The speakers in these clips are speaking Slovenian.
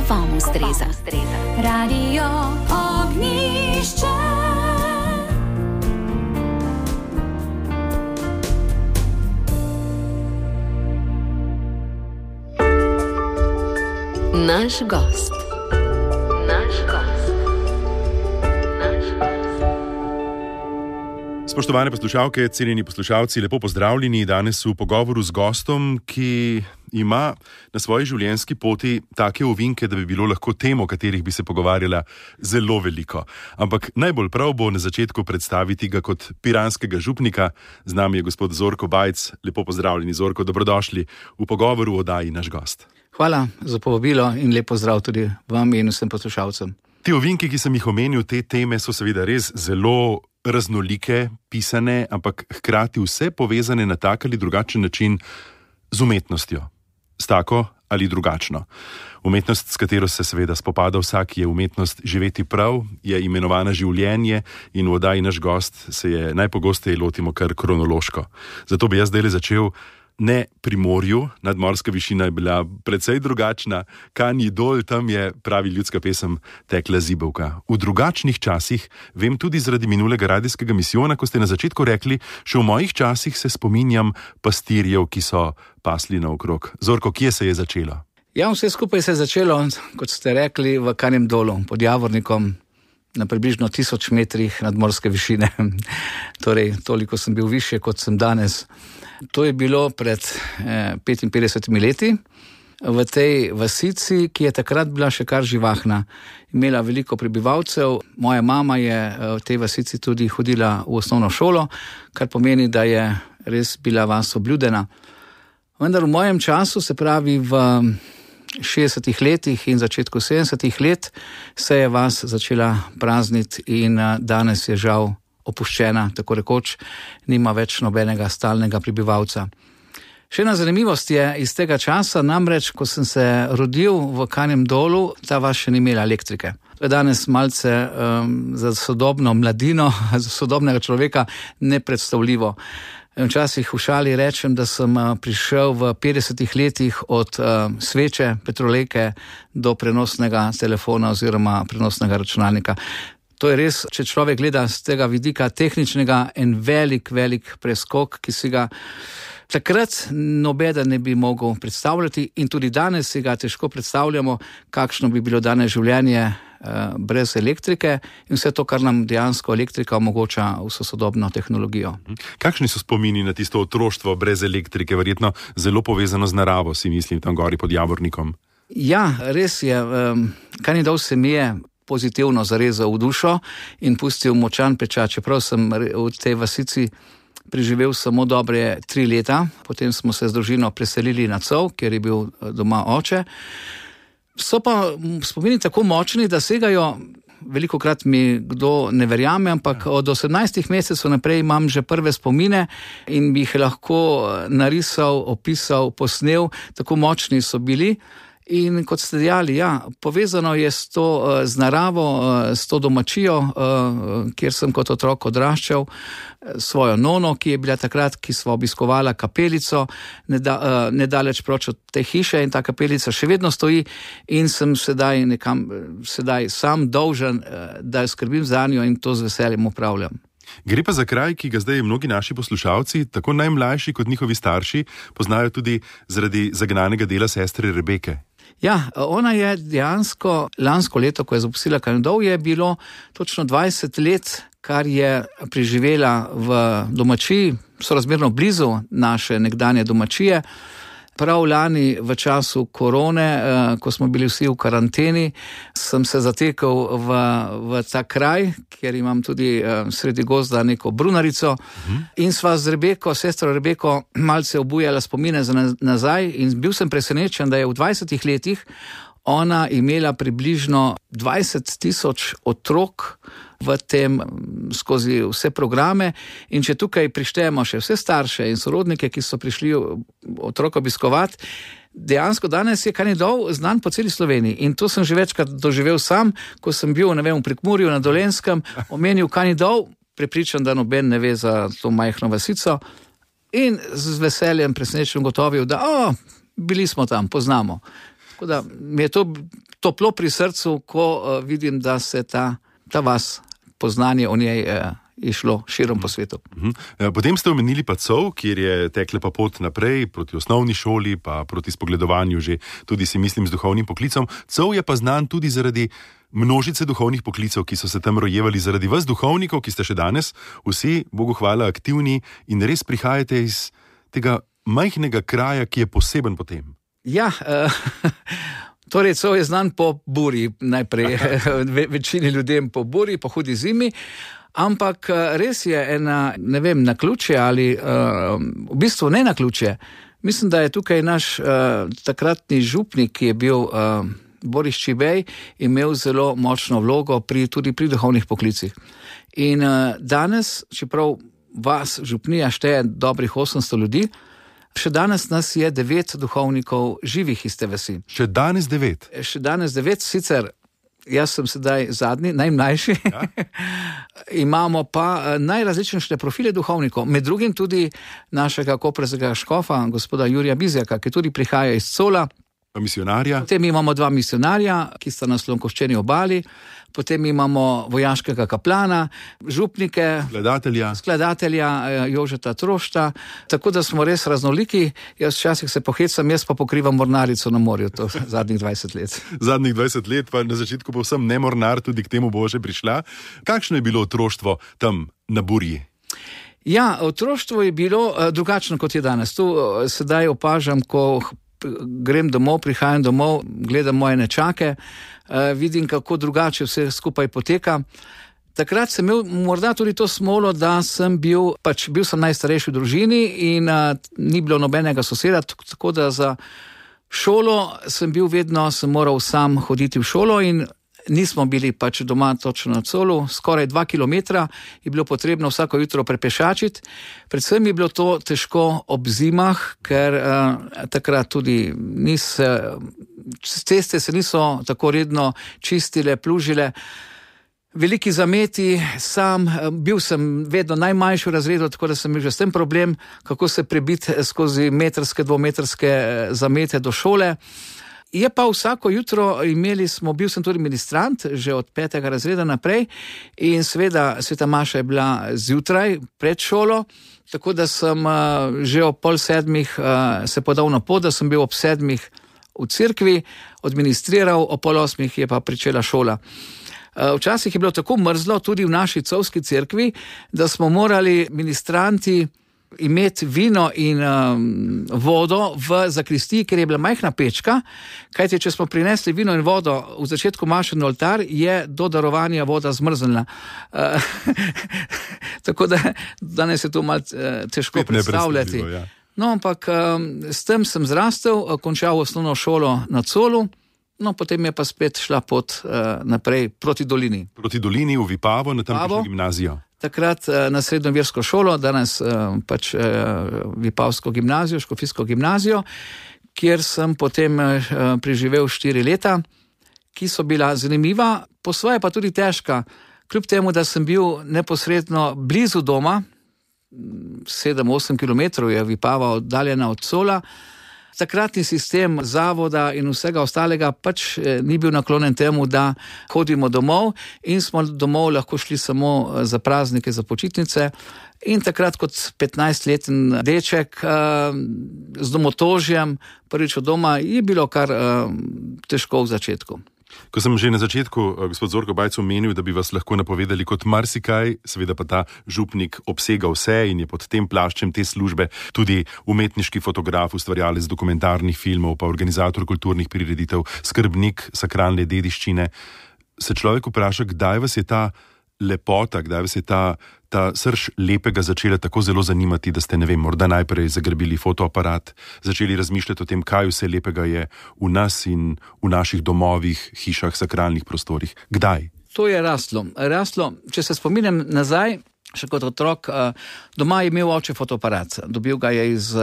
vam ustreza. Radio Ognjišče. Naš gost. Spoštovane poslušalke, cenjeni poslušalci, lepo pozdravljeni. Danes v pogovoru z gostom, ki ima na svoji življenjski poti take ovinke, da bi bilo lahko tem, o katerih bi se pogovarjala, zelo veliko. Ampak najbolj prav bo na začetku predstaviti ga kot piranskega župnika. Z nami je gospod Zorko Bajc. Lepo pozdravljeni, Zorko, dobrodošli v pogovoru v oddaji Naš gost. Hvala za povabilo in lep pozdrav tudi vam in vsem poslušalcem. Te ovinke, ki sem jih omenil, te teme so seveda res zelo raznolike, pisane, ampak hkrati vse povezane na tak ali drugačen način z umetnostjo. S tako ali drugačno. Umetnost, s katero se seveda spopada vsak, je umetnost živeti prav, je imenovana življenje in v oddaji Naš gost se je najpogosteje lotimo kar kronološko. Zato bi jaz zdaj začel ne pri morju, nadmorska višina je bila precej drugačna, Kanji dol, tam je, pravi ljudska pesem, tekla zibelka. V drugačnih časih, vem tudi zaradi minulega radijskega misijona, ko ste na začetku rekli, še v mojih časih se spominjam pastirjev, ki so pasli naokrog. Zorko, kje se je začelo? Ja, vse skupaj se je začelo, kot ste rekli, v Kanjem dolu, pod Javornikom, na približno 1000 metrih nadmorske višine. Torej, toliko sem bil višje, kot sem danes. To je bilo pred 55 leti v tej vasici, ki je takrat bila še kar živahna. Imela veliko prebivalcev. Moja mama je v tej vasici tudi hodila v osnovno šolo, kar pomeni, da je res bila vas obljudena. Vendar v mojem času, se pravi v 60 letih in začetku 70 let, se je vas začela prazniti in danes je žal opuščena, tako rekoč, nima več nobenega stalnega prebivalca. Še ena zanimivost je iz tega časa, namreč, ko sem se rodil v Kanjem dolu, ta vas še ni imela elektrike. To je danes malce za sodobno mladino, za sodobnega človeka nepredstavljivo. Včasih v šali rečem, da sem prišel v 50 letih od sveče, petrolejke do prenosnega telefona oziroma prenosnega računalnika. To je res, če človek gleda z tega vidika tehničnega, en velik preskok, ki si ga takrat nobeden ne bi mogel predstavljati in tudi danes si ga težko predstavljamo, kakšno bi bilo danes življenje brez elektrike in vse to, kar nam dejansko elektrika omogoča vso sodobno tehnologijo. Kakšni so spomini na tisto otroštvo brez elektrike, verjetno zelo povezano z naravo, si mislim, tam gori pod Javornikom? Ja, res je. Kanji dol se mi je pozitivno zarezal v dušo in pustil močan pečat. Čeprav sem v tej vasici preživel samo dobre 3 leta, potem smo se z družino preselili na Cov, kjer je bil doma oče. So pa spomini tako močni, da segajo, velikokrat mi kdo ne verjame, ampak od 18 mesecev naprej imam že prve spomine in bi jih lahko narisal, opisal, posnel, tako močni so bili. In kot ste dejali, ja, povezano je z naravo, s to domačijo, kjer sem kot otrok odraščal, svojo nono, ki je bila takrat, ki sva obiskovala kapelico, nedaleč proč od te hiše in ta kapelica še vedno stoji in sem sedaj sam dolžen, da skrbim za njo in to z veseljem upravljam. Gre pa za kraj, ki ga zdaj mnogi naši poslušalci, tako najmlajši kot njihovi starši, poznajo tudi zaradi zagnanega dela sestre Rebeke. Ja, ona je dejansko lansko leto, ko je zapustila Kanji dol, je bilo točno 20 let, kar je preživela v domačiji, sorazmerno blizu naše nekdanje domačije. Prav lani v času korone, ko smo bili vsi v karanteni, sem se zatekel v ta kraj, kjer imam tudi sredi gozda neko brunarico in sva z Rebeko, sestro Rebeko, malce obujala spomine za nazaj in bil sem presenečen, da je v 20 letih ona imela približno 20,000 otrok v tem skozi vse programe in če tukaj prištejemo še vse starše in sorodnike, ki so prišli otrok obiskovati, dejansko danes je Kanji dol znan po celi Sloveniji in to sem že večkrat doživel sam, ko sem bil, v Prekmurju na Dolenjskem, omenil Kanji dol, prepričan, da noben ne ve za to majhno vasico in z veseljem presenečen gotovil, da bili smo tam, poznamo. Tako da mi je to toplo pri srcu, ko vidim, da se ta vas, poznanje o njej je šlo širom po svetu. Potem ste omenili pa COV, kjer je tekla pa pot naprej proti osnovni šoli, pa proti spogledovanju že tudi si mislim z duhovnim poklicom. COV je pa znan tudi zaradi množice duhovnih poklicev, ki so se tam rojevali, zaradi vas duhovnikov, ki ste še danes vsi, Bogu hvala, aktivni in res prihajate iz tega majhnega kraja, ki je poseben po tem. Ja, torej COV je znan po buri, najprej večini ljudem po buri, po hudi zimi. Ampak res je ena, ne vem, naključje ali v bistvu ne naključje. Mislim, da je tukaj naš takratni župnik, ki je bil Boris Čibej, imel zelo močno vlogo tudi pri duhovnih poklicih. In danes, čeprav vas župnija šteje dobrih 800 ljudi, še danes nas je 9 duhovnikov živih iz te vasi. Še danes 9? Še danes 9, sicer jaz sem sedaj zadnji, najmlajši. Ja. Imamo pa najrazličnejše profile duhovnikov, med drugim tudi našega koprskega škofa, gospoda Jurija Bizjaka, ki tudi prihaja iz Cola. Misionarja. Potem imamo 2 misionarja, ki sta na Slonkoščeni obali, potem imamo vojaškega kaplana, župnike, skladatelja Jožeta Trošta, tako da smo res raznoliki. Jaz včasih se pohecam, jaz pa pokrivam mornarico na morju, to zadnjih 20 let. Zadnjih 20 let, pa na začetku povsem ne mornar, tudi k temu bo že prišla. Kakšno je bilo otroštvo tam na Burji? Ja, otroštvo je bilo drugačno, kot je danes. Tu sedaj opažam, ko grem domov, prihajam domov, gledam moje nečake, vidim, kako drugače vse skupaj poteka. Takrat sem imel morda tudi to smolo, da sem bil sem najstarejši v družini in ni bilo nobenega soseda, tako da za šolo sem moral sam hoditi v šolo in nismo bili doma točno na Colu, skoraj 2 kilometra je bilo potrebno vsako jutro prepešačiti. Predvsem je bilo to težko ob zimah, ker takrat tudi ceste se niso tako redno čistile, plužile. Veliki zameti, bil sem vedno najmanjši v razredu, tako da sem imel že s tem problem, kako se prebiti skozi metrske, dvometrske zamete do šole. Je pa vsako jutro bil sem tudi ministrant, že od 5. razreda naprej in seveda sveta maša je bila zjutraj pred šolo, tako da sem že ob 6:30 se podal na pot, da sem bil ob 7 v cerkvi, odministriral, ob 7:30 je pa pričela šola. Včasih je bilo tako mrzlo tudi v naši covski cerkvi, da smo morali ministranti imeti vino in vodo v zakristiji, ker je bila majhna pečka, kajti če smo prinesli vino in vodo v začetku maše na oltar, je do darovanja voda zmrznila. Tako da danes je to malo težko predstavljati. Ja. No, ampak s tem sem zrastel, končal osnovno šolo na Colu, no, potem je pa spet šla pot naprej proti dolini. Proti dolini v Vipavo, na tamkajšnjo gimnazijo. Takrat na srednjo versko šolo, danes Vipavsko gimnazijo, škofijsko gimnazijo, kjer sem potem preživel 4 leta, ki so bila zanimiva, po svoje pa tudi težka, kljub temu, da sem bil neposredno blizu doma, 7-8 kilometrov je Vipava oddaljena od Cola. Takratni sistem zavoda in vsega ostalega ni bil naklonjen temu, da hodimo domov in smo domov lahko šli samo za praznike, za počitnice. In takrat kot 15-leten deček z domotožjem, prvič od doma, je bilo kar težko v začetku. Ko sem že na začetku, gospod Zorko Bajc, omenil, da bi vas lahko napovedali kot marsikaj, seveda pa ta župnik obsega vse in je pod tem plaščem te službe tudi umetniški fotograf, ustvarjalec dokumentarnih filmov, pa organizator kulturnih prireditev, skrbnik sakralne dediščine. Se človek vpraša, kdaj vas je ta lepota, kdaj vas je ta srž lepega začela tako zelo zanimati, da ste, ne vem, morda najprej zagrabili fotoaparat, začeli razmišljati o tem, kaj vse lepega je v nas in v naših domovih, hišah, sakralnih prostorih. Kdaj? To je raslo. Če se spominjam nazaj, še kot otrok, doma je imel oče fotoaparat. Dobil ga je iz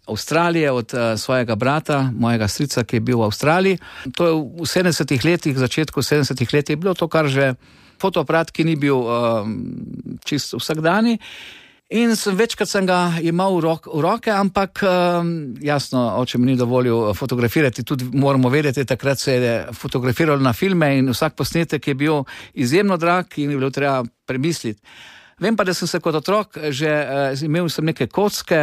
Avstralije od svojega brata, mojega strica, ki je bil v Avstraliji. To je v 70-ih letih, v začetku 70-ih let je bilo to kar že fotoaparat, ki ni bil čisto vsakdani. In večkrat sem ga imel v roke, ampak jasno, oče mi ni dovolil fotografirati, tudi moramo vedeti, takrat se je fotografiralo na filme in vsak posnetek je bil izjemno drag in je bilo treba premisliti. Vem pa, da sem se kot otrok že imel sem neke kocke,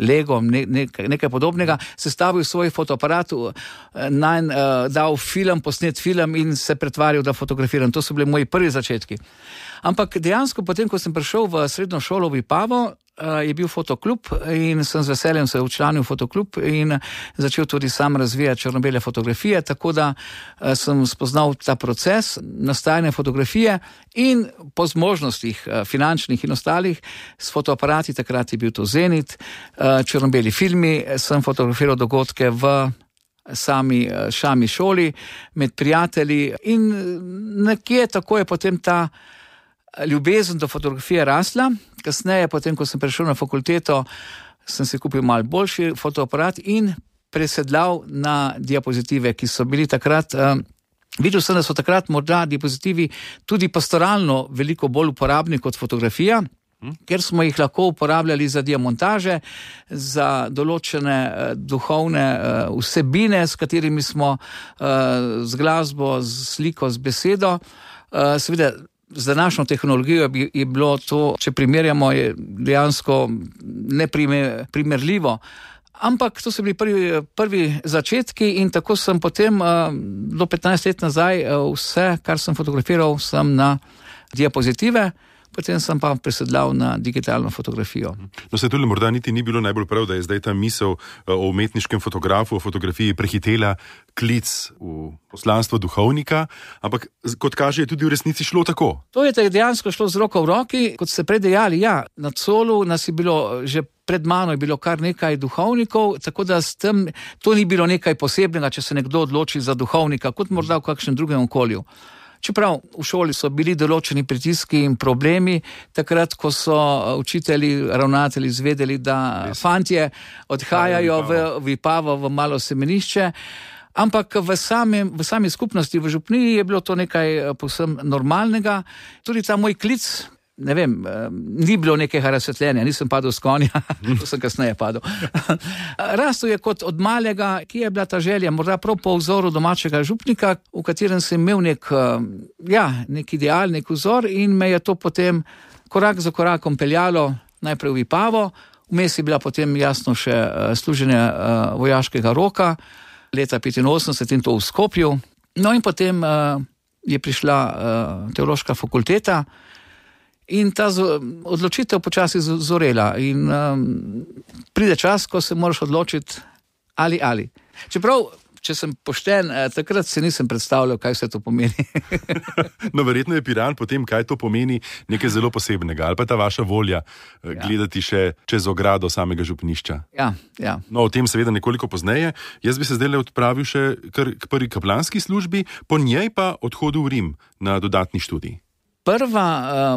Lego, nekaj podobnega, sestavil svoj fotoaparat, dal posnet film in se pretvarjal, da fotografiram. To so bili moji prvi začetki. Ampak dejansko potem, ko sem prišel v srednjo šolo v Vipavo, je bil fotoklub in sem z veseljem se včlanil v fotoklub in začel tudi sam razvijati črno-bele fotografije, tako da sem spoznal ta proces nastajanja fotografije in po zmožnostih finančnih in ostalih s fotoaparati, takrat je bil to Zenit, črno-beli filmi, sem fotografiral dogodke v sami šoli, med prijatelji in nekje tako je potem ta ljubezen do fotografije rasla. Kasneje, potem, ko sem prišel na fakulteto, sem si kupil malo boljši fotoaparat in presedlal na diapozitive, ki so bili takrat, videl sem, da so takrat morda diapozitivi tudi pastoralno veliko bolj uporabni kot fotografija, ker smo jih lahko uporabljali za diamontaže, za določene duhovne vsebine, s katerimi smo z glasbo, z sliko, z besedo, seveda z današnjo tehnologijo je bilo to, če primerjamo, je dejansko neprimerljivo. Ampak to so bili prvi začetki in tako sem potem do 15 let nazaj vse, kar sem fotografiral, sem na diapozitive, potem sem pa presedlal na digitalno fotografijo. No, se tudi morda niti ni bilo najbolj prav, da je zdaj ta misel o umetniškem fotografu, o fotografiji prehitela klic v poslanstvo duhovnika, ampak kot kaže, je tudi v resnici šlo tako. To je dejansko šlo z roko v roki, kot ste predejali, ja, na Colu nas je bilo, že pred mano je bilo kar nekaj duhovnikov, tako da s tem, to ni bilo nekaj posebnega, če se nekdo odloči za duhovnika, kot morda v kakšnem drugem okolju. Čeprav v šoli so bili določeni pritiski in problemi, takrat, ko so učitelji, ravnatelji izvedeli, da fantje odhajajo v Vipavo, v malo semenišče, ampak v sami skupnosti, v župniji je bilo to nekaj povsem normalnega. Tudi ta moj klic, ne vem, ni bilo nekega razsvetljenja, nisem padel s konja, to sem kasneje padel. Rastel je kot od malega, ki je bila ta želja, morda prav po vzoru domačega župnika, v katerem sem imel nek ideal, nek vzor in me je to potem korak za korakom peljalo najprej v Vipavo, vmes je bila potem jasno še služenje vojaškega roka, leta 85 in to v Skopju. No in potem je prišla teološka fakulteta, in ta odločitev počasi zorela in pride čas, ko se moraš odločiti ali. Čeprav, če sem pošten, takrat se nisem predstavljal, kaj vse to pomeni. No, verjetno je Piran potem, kaj to pomeni, nekaj zelo posebnega, ali pa ta vaša volja gledati še čez ogrado samega župnišča. Ja. No, o tem seveda nekoliko pozneje. Jaz bi se zdaj odpravil še k prvi kaplanski službi, po njej pa odhodu v Rim na dodatni študij.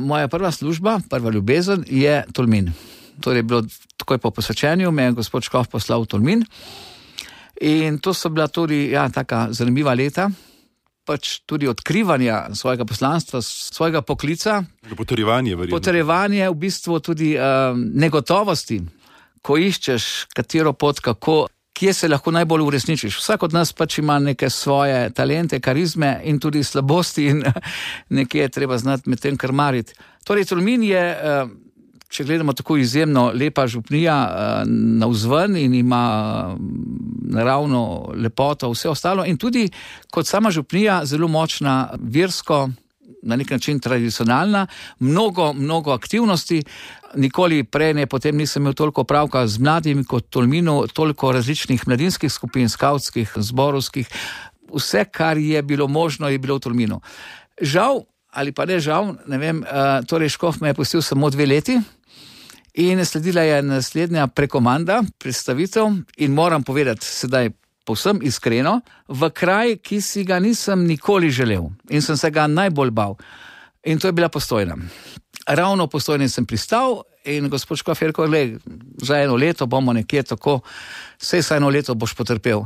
Moja prva služba, prva ljubezen je Tolmin. Torej, bilo takoj po posvečenju, me je gospod Škof poslal v Tolmin in to so bila tudi, taka zanimiva leta, pač tudi odkrivanja svojega poslanstva, svojega poklica. Potrjevanje, verjetno. Potrjevanje, v bistvu tudi negotovosti, ko iščeš katero pot, kako, kje se lahko najbolj uresničiš. Vsak od nas pač ima neke svoje talente, karizme in tudi slabosti in nekje je treba znati med tem krmariti. Torej, Tolmin je, če gledamo tako izjemno lepa župnija navzven in ima naravno lepoto, vse ostalo in tudi kot sama župnija zelo močna versko, na nek način tradicionalna, mnogo aktivnosti. Nikoli prej potem nisem imel toliko pravka z mladimi kot Tolminu, toliko različnih mladinskih skupin, skavtskih, zborovskih. Vse, kar je bilo možno, je bilo v Tolminu. Žal, ali pa ne žal, ne vem, torej Škof me je pustil samo 2 leti in sledila je naslednja prekomanda, predstavitev in moram povedati sedaj povsem iskreno, v kraj, ki si ga nisem nikoli želel in sem se ga najbolj bal. In to je bila Postojna. Ravno v Postojni sem pristal in gospod Škof je rekel, za 1 leto bomo nekje tako, saj 1 leto boš potrpel.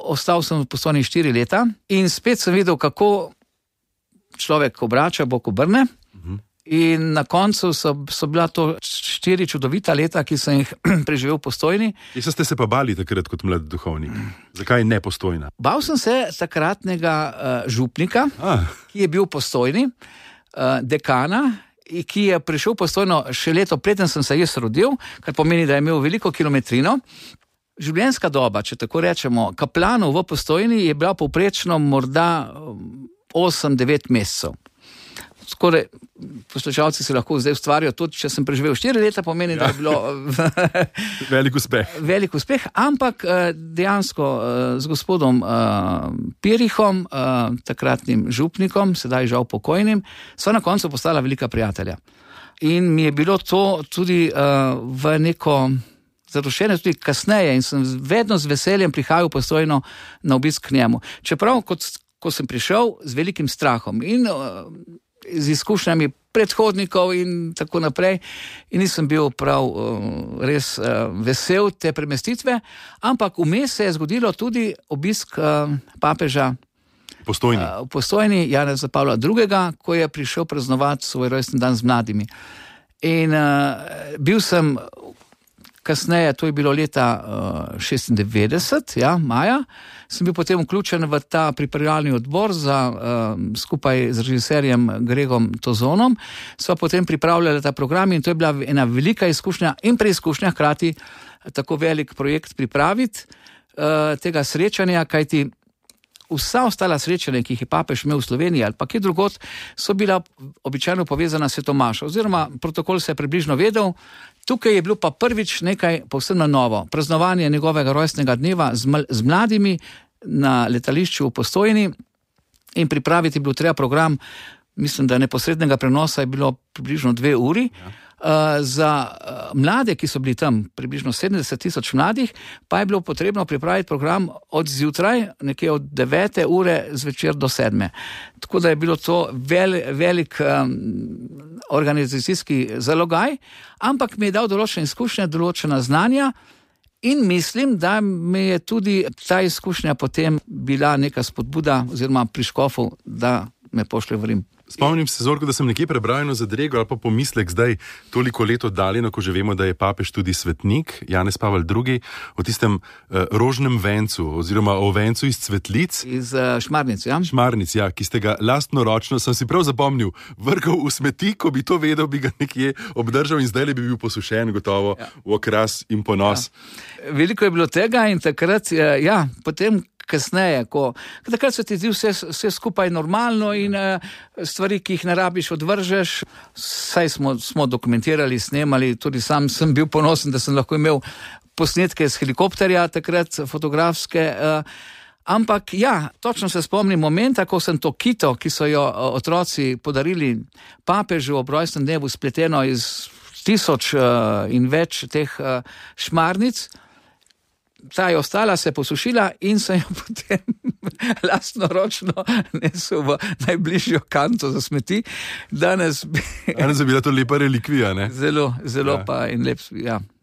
Ostal sem v Postojni 4 leta in spet sem videl, kako človek obrača, Bog obrne In na koncu so bila to 4 čudovita leta, ki sem jih preživel v Postojni. Jaz ste se pa bali takrat kot mlad duhovnik. Zakaj ne Postojna? Bal sem se takratnega župnika, ki je bil v Postojni, dekana, ki je prišel v Postojno še leto preden sem se jaz rodil, kar pomeni, da je imel veliko kilometrino. Življenjska doba, če tako rečemo, kaplanov v Postojni je bila povprečno morda 8-9 mesecev. Skoraj poslušalci si lahko zdaj ustvarijo, tudi če sem preživel 4 leta, pomeni, da je bilo velik uspeh, ampak dejansko z gospodom Pirihom, takratnim župnikom, sedaj žal pokojnim, so na koncu postala velika prijatelja. In mi je bilo to tudi v neko zadoščenje tudi kasneje in sem vedno z veseljem prihajal Postojno na obisk k njemu. Čeprav, ko sem prišel z velikim strahom in z izkušnjami predhodnikov in tako naprej, in nisem bil prav res vesel te premestitve, ampak vmes se je zgodilo tudi obisk papeža v Postojni, Janeza Pavla II., ko je prišel praznovati svoj rojstni dan z mladimi. In bil sem kasneje, to je bilo leta 96, maja, sem bil potem vključen v ta pripravljalni odbor skupaj z režiserjem Gregom Tozonom, sva potem pripravljala ta program in to je bila ena velika izkušnja in preizkušnja, hkrati tako velik projekt pripraviti tega srečanja, kajti vsa ostala srečanja, ki jih je papež imel v Sloveniji ali pa kje drugod, so bila običajno povezana s svetom mašo, oziroma protokol se je približno vedel. Tukaj je bilo pa prvič nekaj povsem na novo. Praznovanje njegovega rojstnega dneva z mladimi na letališču v Postojni in pripraviti je bilo treba program, mislim, da neposrednega prenosa je bilo približno 2 uri. Za mlade, ki so bili tam, približno 70,000 mladih, pa je bilo potrebno pripraviti program od zjutraj, nekje od 9. ure zvečer do 7. Tako da je bilo to velik organizacijski zalogaj, ampak mi je dal določene izkušnje, določena znanja in mislim, da mi je tudi ta izkušnja potem bila neka spodbuda oziroma pri škofu, da me pošlje v Rim. Spomnim se, Zorko, da sem nekje prebral eno zadrego ali pa pomislek zdaj toliko let oddaljeno, ko že vemo, da je papež tudi svetnik, Janez Pavel II, o tistem rožnem vencu oziroma o vencu iz cvetlic. Iz Šmarnic, ja. Šmarnic, ja, ki ste ga lastnoročno, sem si prav zapomnil, vrgal v smeti, ko bi to vedel, bi ga nekje obdržal in zdaj bi bil posušen, gotovo v okras in ponos. Ja. Veliko je bilo tega in takrat, potem kasneje, takrat se ti zdi vse skupaj normalno in stvari, ki jih ne rabiš, odvržeš. Saj smo dokumentirali, snemali, tudi sam sem bil ponosen, da sem lahko imel posnetke z helikopterja, takrat fotografske, ampak točno se spomnim momenta, ko sem to kito, ki so jo otroci podarili papežu ob rojstnem dnevu, spleteno iz 1000 in več teh šmarnic. Ta je ostala, se posušila in sem jo potem lastnoročno nesel v najbližjo kanto za smeti. Danes je bila to lepa relikvija, ne? Zelo pa in lep,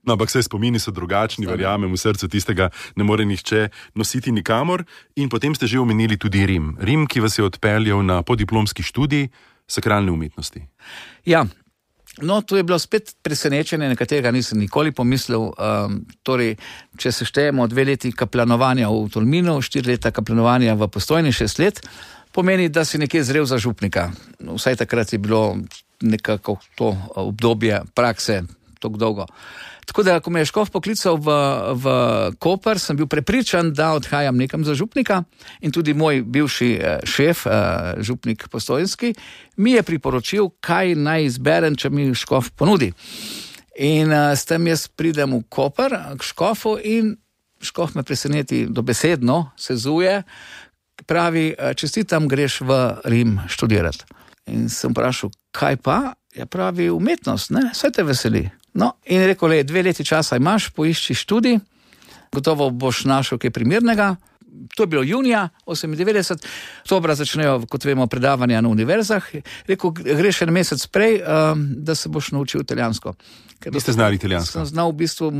No, ampak vse spomini so drugačni, verjamem, v srcu tistega ne more nihče nositi nikamor. In potem ste že omenili tudi Rim. Rim, ki vas je odpeljal na podiplomski študij sakralne umetnosti. Ja. No, to je bilo spet presenečenje, na katerega nisem nikoli pomislil. Torej, če se štejemo 2 leti kaplanovanja v Tolminu, 4 leta kaplanovanja v Postojni, 6 let, pomeni, da si nekje zrel za župnika. Vsaj takrat je bilo nekako to obdobje prakse tako dolgo. Tako da, ko me je škof poklical v Koper, sem bil prepričan, da odhajam nekam za župnika in tudi moj bivši šef, župnik Postojnski, mi je priporočil, kaj naj izberem, če mi škof ponudi. In s tem jaz pridem v Koper k škofu in škof me preseneti dobesedno, sezuje, pravi, čestitam, greš v Rim študirati. In sem vprašal, kaj pa? Ja, pravi, umetnost, ne, vse te veseli. No, in rekel, 2 leti časa imaš, poišči študij, gotovo boš našel kaj primernega. To je bilo junija 98, oktobra začnejo, kot vemo, predavanja na univerzah. Rekel, greš en mesec prej, da se boš naučil italijansko. Niste znali italijansko? Sem znal v bistvu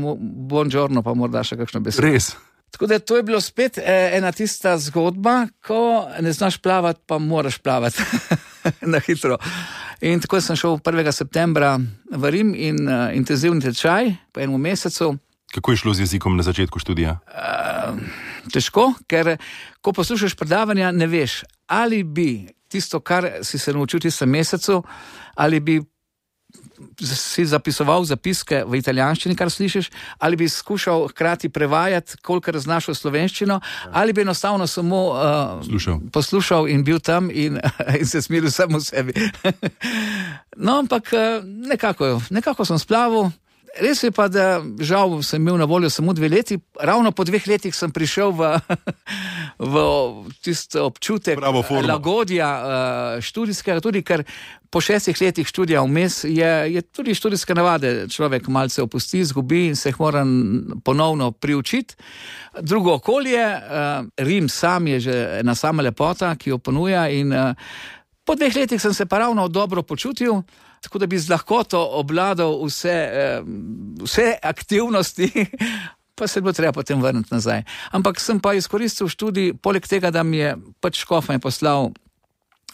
buongiorno, pa morda še kakšno besedo. Res? Tako da to je bilo spet ena tista zgodba, ko ne znaš plavati, pa moraš plavati na hitro. In tako sem šel 1. septembra v Rim in intenzivni tečaj po enem mesecu. Kako je šlo z jezikom na začetku študija? Težko, ker ko poslušaš predavanja, ne veš, ali bi tisto, kar si se naučil v tistem mesecu, ali bi si zapisoval zapiske v italijanščini, kar slišiš, ali bi skušal hkrati prevajati, kolikor znaš v slovenščino, ali bi enostavno samo poslušal in bil tam in se smiril samo sebi. No, ampak nekako sem splavil. Res je pa, da žal sem imel na voljo samo 2 leti, ravno po 2 letih sem prišel v tisto občutek lagodja študijskega, tudi ker po 6 letih študija vmes je tudi študijske navade, človek malce opusti, izgubi in se jih mora ponovno priučiti. Drugo okolje, Rim sam je že ena sama lepota, ki jo ponuja in po 2 letih sem se pa ravno dobro počutil, tako da bi z lahkoto obladal vse aktivnosti, pa se bo treba potem vrniti nazaj. Ampak sem pa izkoristil študij, poleg tega, da mi je škof me poslal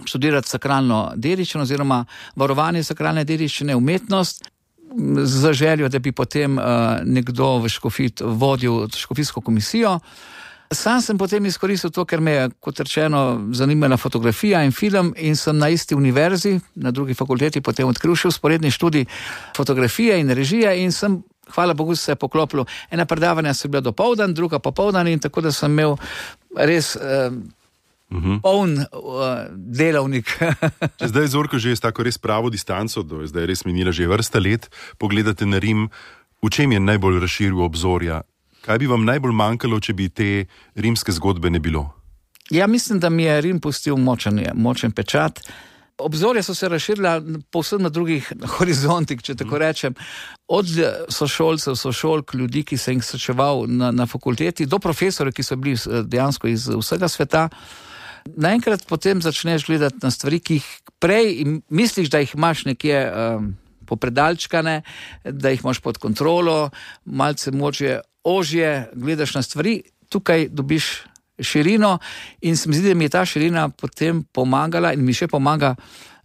študirati sakralno dediščino oziroma varovanje sakralne dediščine, umetnost, za željo, da bi potem nekdo v škofiji vodil škofijsko komisijo. Sam sem potem izkoristil to, ker me je, kot rečeno, zanimala fotografija in film in sem na isti univerzi, na drugi fakulteti, potem odkril še vzporedni študij fotografije in režije in sem, hvala Bogu, se poklopil. Ena predavanja so bila dopoldan, druga popoldan in tako da sem imel res poln delavnik. Če zdaj, Zorko, že je tako res pravo distanco, zdaj je res minila že vrsta let, pogledate na Rim, v čem je najbolj razširil obzorja? Kaj bi vam najbolj manjkalo, če bi te rimske zgodbe ne bilo? Ja, mislim, da mi je Rim pustil močen pečat. Obzorja so se razširila povsem na drugih horizontih, če tako rečem. Od sošolcev, sošolk, ljudi, ki se jih srečeval na fakulteti, do profesorjev, ki so bili dejansko iz vsega sveta. Naenkrat potem začneš gledati na stvari, ki jih prej misliš, da jih imaš nekje popredalčkane, da jih imaš pod kontrolo, malce ožje gledaš na stvari, tukaj dobiš širino in se mi zdi, da mi je ta širina potem pomagala in mi še pomaga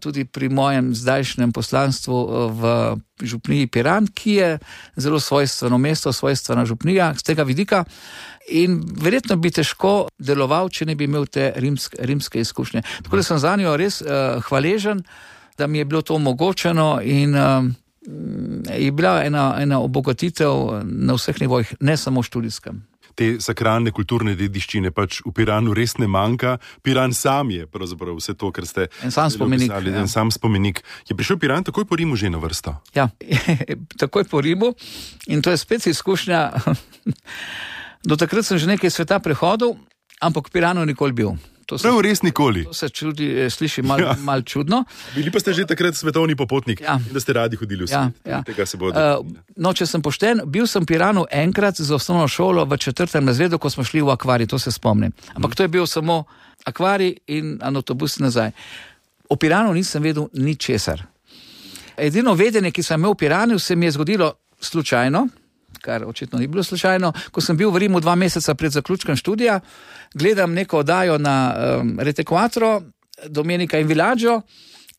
tudi pri mojem zdajšnjem poslanstvu v župniji Piran, ki je zelo svojstveno mesto, svojstvena župnija z tega vidika in verjetno bi težko deloval, če ne bi imel te rimske izkušnje. Tako da sem za njo res hvaležen, da mi je bilo to omogočeno in je bila ena obogatitev na vseh nivojih, ne samo študijskem. Te sakralne kulturne dediščine pač v Piranu res ne manjka. Piran sam je pravzaprav vse to, kar ste spomenik, opisali. En sam spomenik. Je prišel Piran takoj po Rimu že na vrsto? Ja, takoj po Rimu in to je spet izkušnja. Do takrat sem že nekaj sveta prehodil, ampak v Piranu nikoli bil. Prav res nikoli. To se sliši malo čudno. Bili pa ste že takrat svetovni popotnik, da ste radi hodili v svet. Tega se bo no, če sem pošten, bil sem v Piranu enkrat za osnovno šolo v 4. razredu, ko smo šli v akvarij, to se spomnim. Ampak to je bil samo akvarij in avtobus nazaj. O Piranu nisem vedel ničesar. Edino vedenje, ki sem imel v Piranu, se mi je zgodilo slučajno, kar očitno ni bilo slučajno, ko sem bil v Rimu 2 meseca pred zaključkom študija, gledam neko oddajo na Rete 4, Domenica in Villaggio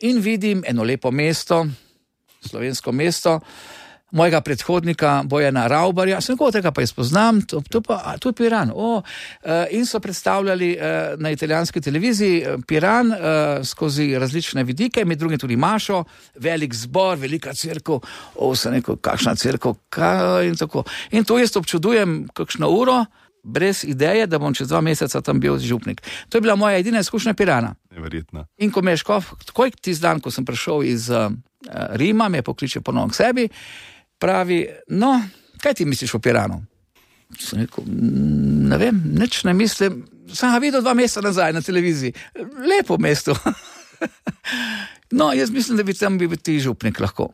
in vidim eno lepo mesto, slovensko mesto, mojega predhodnika Bojana Ravbarja, sem nekoga tega pa izpoznam, to je Piran. In so predstavljali na italijanski televiziji Piran skozi različne vidike, med drugim tudi Mašo, velik zbor, velika cerkev, sem rekel, kakšna cerkev, in tako. In to jaz občudujem kakšno uro, brez ideje, da bom čez 2 meseca tam bil župnik. To je bila moja edina izkušnja Pirana. Neverjetno. In ko me je škof, takoj tisti dan, ko sem prišel iz Rima, me pokliče ponovno k sebi, pravi, no, kaj ti misliš o Piranu? Sem rekel, ne vem, nič ne mislim, sem ga videl 2 meseca nazaj na televiziji, lepo mesto. No, jaz mislim, da bi tam bil ti župnik lahko.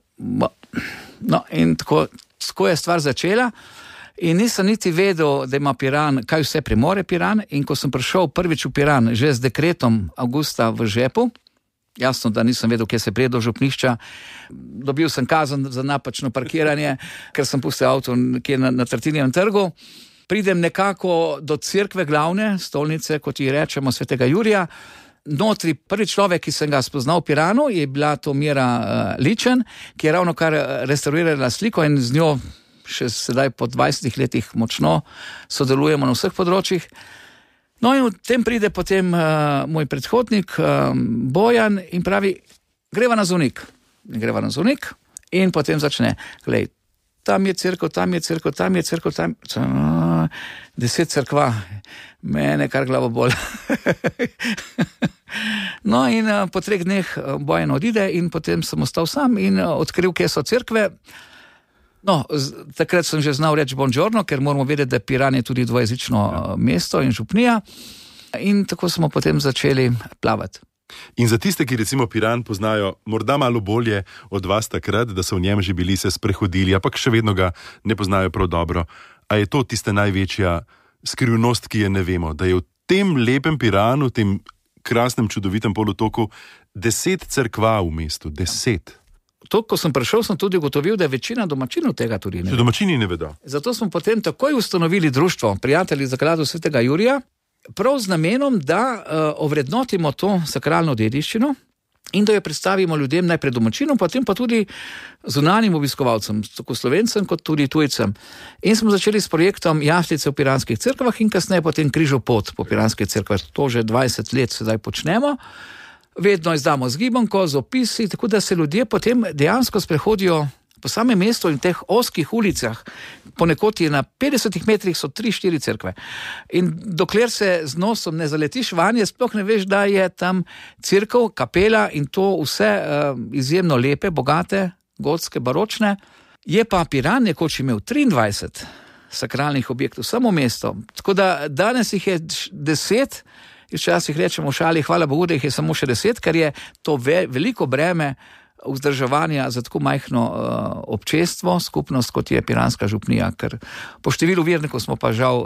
No, in tako je stvar začela in nisem niti vedel, da ima Piran, kaj vse premore Piran, in ko sem prišel prvič v Piran, že z dekretom avgusta v žepu, jasno, da nisem vedel, kje se prije do župnišča. Dobil sem kazen za napačno parkiranje, ker sem pustil avto nekje na Tartinijevem trgu. Pridem nekako do cerkve glavne, stolnice, kot ji rečemo, svetega Jurija. notri prvi človek, ki sem ga spoznal v Piranu, je bila to Mira Ličen, ki je ravno kar restaurirala sliko in z njo še sedaj po 20 letih močno sodelujemo na vseh področjih. No in v tem pride potem moj predhodnik Bojan in pravi, greva na Zvonik. Greva na Zvonik in potem začne, glej, tam je cerkev, tam je cerkev, tam je cerkev, tam 10 cerkva, mene kar glavo bol. No in po 3 dneh Bojan odide in potem sem ostal sam in odkril, kje so cerkve. No, takrat sem že znal reči buongiorno, ker moramo vedeti, da Piran je tudi dvojezično mesto in župnija. In tako smo potem začeli plavati. In za tiste, ki recimo Piran poznajo morda malo bolje od vas takrat, da so v njem že bili, se sprehodili, ampak še vedno ga ne poznajo prav dobro, a je to tista največja skrivnost, ki je ne vemo, da je v tem lepem Piranu, v tem krasnem, čudovitem polotoku 10 cerkva v mestu, 10. To, ko sem prišel, sem tudi ugotovil, da je večina domačinov tega tudi ne ve. Domačini ne vedo. Zato smo potem takoj ustanovili društvo Prijatelji Zakladu svetega Jurija, prav z namenom, da ovrednotimo to sakralno dediščino in da jo predstavimo ljudem, najprej domačinom, potem pa tudi zunanjim obiskovalcem, tako Slovencem kot tudi tujcem. In smo začeli s projektom Jaftice v piranskih cerkvah in kasneje potem Križov pot po piranskih cerkvah. To že 20 let sedaj počnemo. Vedno izdamo zgibanko, z opisi, tako da se ljudje potem dejansko sprehodijo po samem mestu in teh ozkih ulicah. Ponekod je na 50 metrih so 3-4 cerkve. In dokler se z nosom ne zaletiš vanje, sploh ne veš, da je tam cerkev, kapela in to vse izjemno lepe, bogate, gotske, baročne. Je pa Piran nekoč imel 23 sakralnih objektov, samo mesto. Tako da danes jih je 10, včasih rečemo v šali, hvala Bogu, da jih je samo še 10, ker je to veliko breme vzdrževanja za tako majhno občestvo, skupnost, kot je piranska župnija, ker po številu vernikov smo pa žal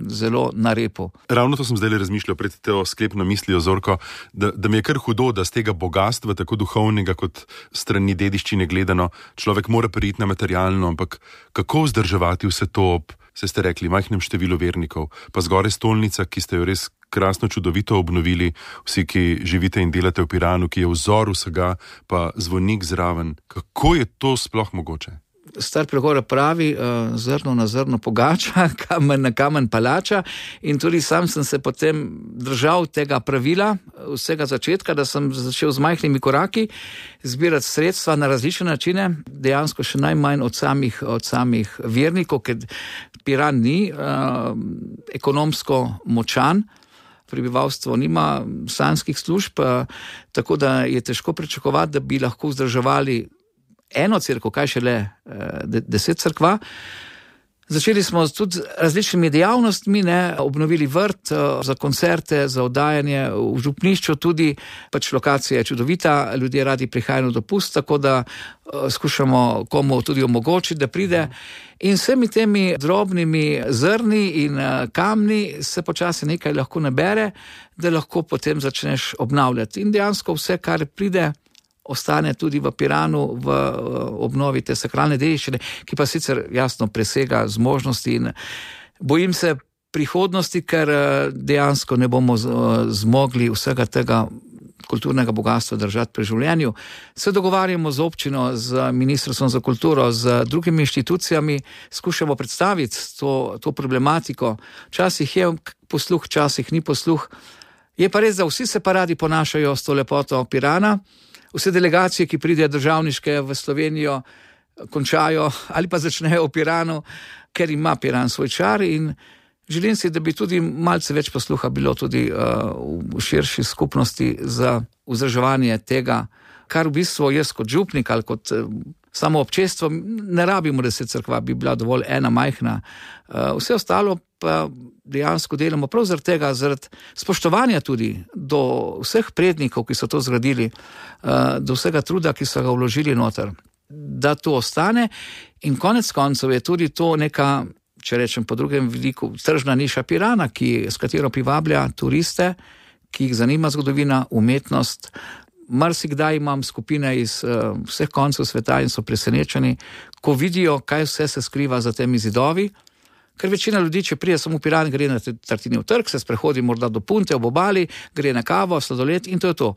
zelo na repu. Ravno to sem zdaj razmišljal pred to sklepno mislijo, Zorko, da mi je kar hudo, da z tega bogatstva, tako duhovnega kot strani dediščine gledano, človek mora priti na materialno, ampak kako vzdrževati vse to ob, se ste rekli, majhnem številu vernikov, pa zgoraj stolnica, ki ste jo res krasno, čudovito obnovili, vsi, ki živite in delate v Piranu, ki je vzor vsega, pa Zvonik zraven. Kako je to sploh mogoče? Star pregovor pravi, zrno na zrno pogača, kamen na kamen palača, in tudi sam sem se potem držal tega pravila, vsega začetka, da sem začel z majhnimi koraki zbirati sredstva na različne načine, dejansko še najmanj od samih vernikov, ker Piran ni ekonomsko močan, prebivalstvo nima sanskih služb, tako da je težko pričakovati, da bi lahko vzdrževali eno cerkev, kaj šele 10 cerkva. Začeli smo tudi z različnimi dejavnostmi, obnovili vrt za koncerte, za oddajanje v župnišču, tudi pač lokacija je čudovita, ljudje radi prihajajo na dopust, tako da skušamo komu tudi omogočiti, da pride. In vsemi temi drobnimi zrni in kamni se počasi nekaj lahko nabere, da lahko potem začneš obnavljati. In dejansko vse, kar pride, ostane tudi v Piranu, v obnovi te sakralne dediščine, ki pa sicer jasno presega zmožnosti in bojim se prihodnosti, ker dejansko ne bomo zmogli vsega tega kulturnega bogatstva držati pri življenju. Se dogovarjamo z občino, z Ministrstvom za kulturo, z drugimi inštitucijami, skušamo predstaviti to problematiko. Včasih je posluh, včasih ni posluh. Je pa res, da vsi se pa radi ponašajo s to lepoto Pirana. Vse delegacije, ki pridejo državniške v Slovenijo, končajo ali pa začnejo v Piranu, ker ima Piran svoj čar in želim si, da bi tudi malce več posluha bilo tudi v širši skupnosti za vzdrževanje tega, kar v bistvu jaz kot župnik ali kot samo občestvo ne rabimo 10 cerkva, bi bila dovolj ena majhna. Vse ostalo pa dejansko delamo prav zaradi tega, zaradi spoštovanja tudi do vseh prednikov, ki so to zgradili, do vsega truda, ki so ga vložili noter, da to ostane in konec koncev je tudi to neka, če rečem po drugem vidiku, tržna niša Pirana, s katero privablja turiste, ki jih zanima zgodovina, umetnost. Marsikdaj imam skupine iz vseh koncev sveta in so presenečeni, ko vidijo, kaj vse se skriva za temi zidovi, Ker večina ljudi, če prije samo v Piran, gre na Tartinijev trg, se sprehodi morda do Punte, ob obali, gre na kavo, sladoled in to je to.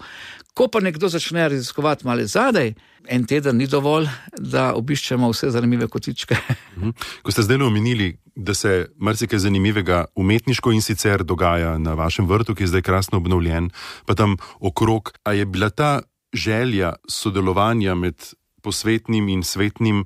Ko pa nekdo začne raziskovati malo zadaj, en teden ni dovolj, da obiščemo vse zanimive kotičke. Ko ste zdaj omenili, da se marsikaj zanimivega umetniško in sicer dogaja na vašem vrtu, ki je zdaj krasno obnovljen, pa tam okrog, a je bila ta želja sodelovanja med posvetnim in svetnim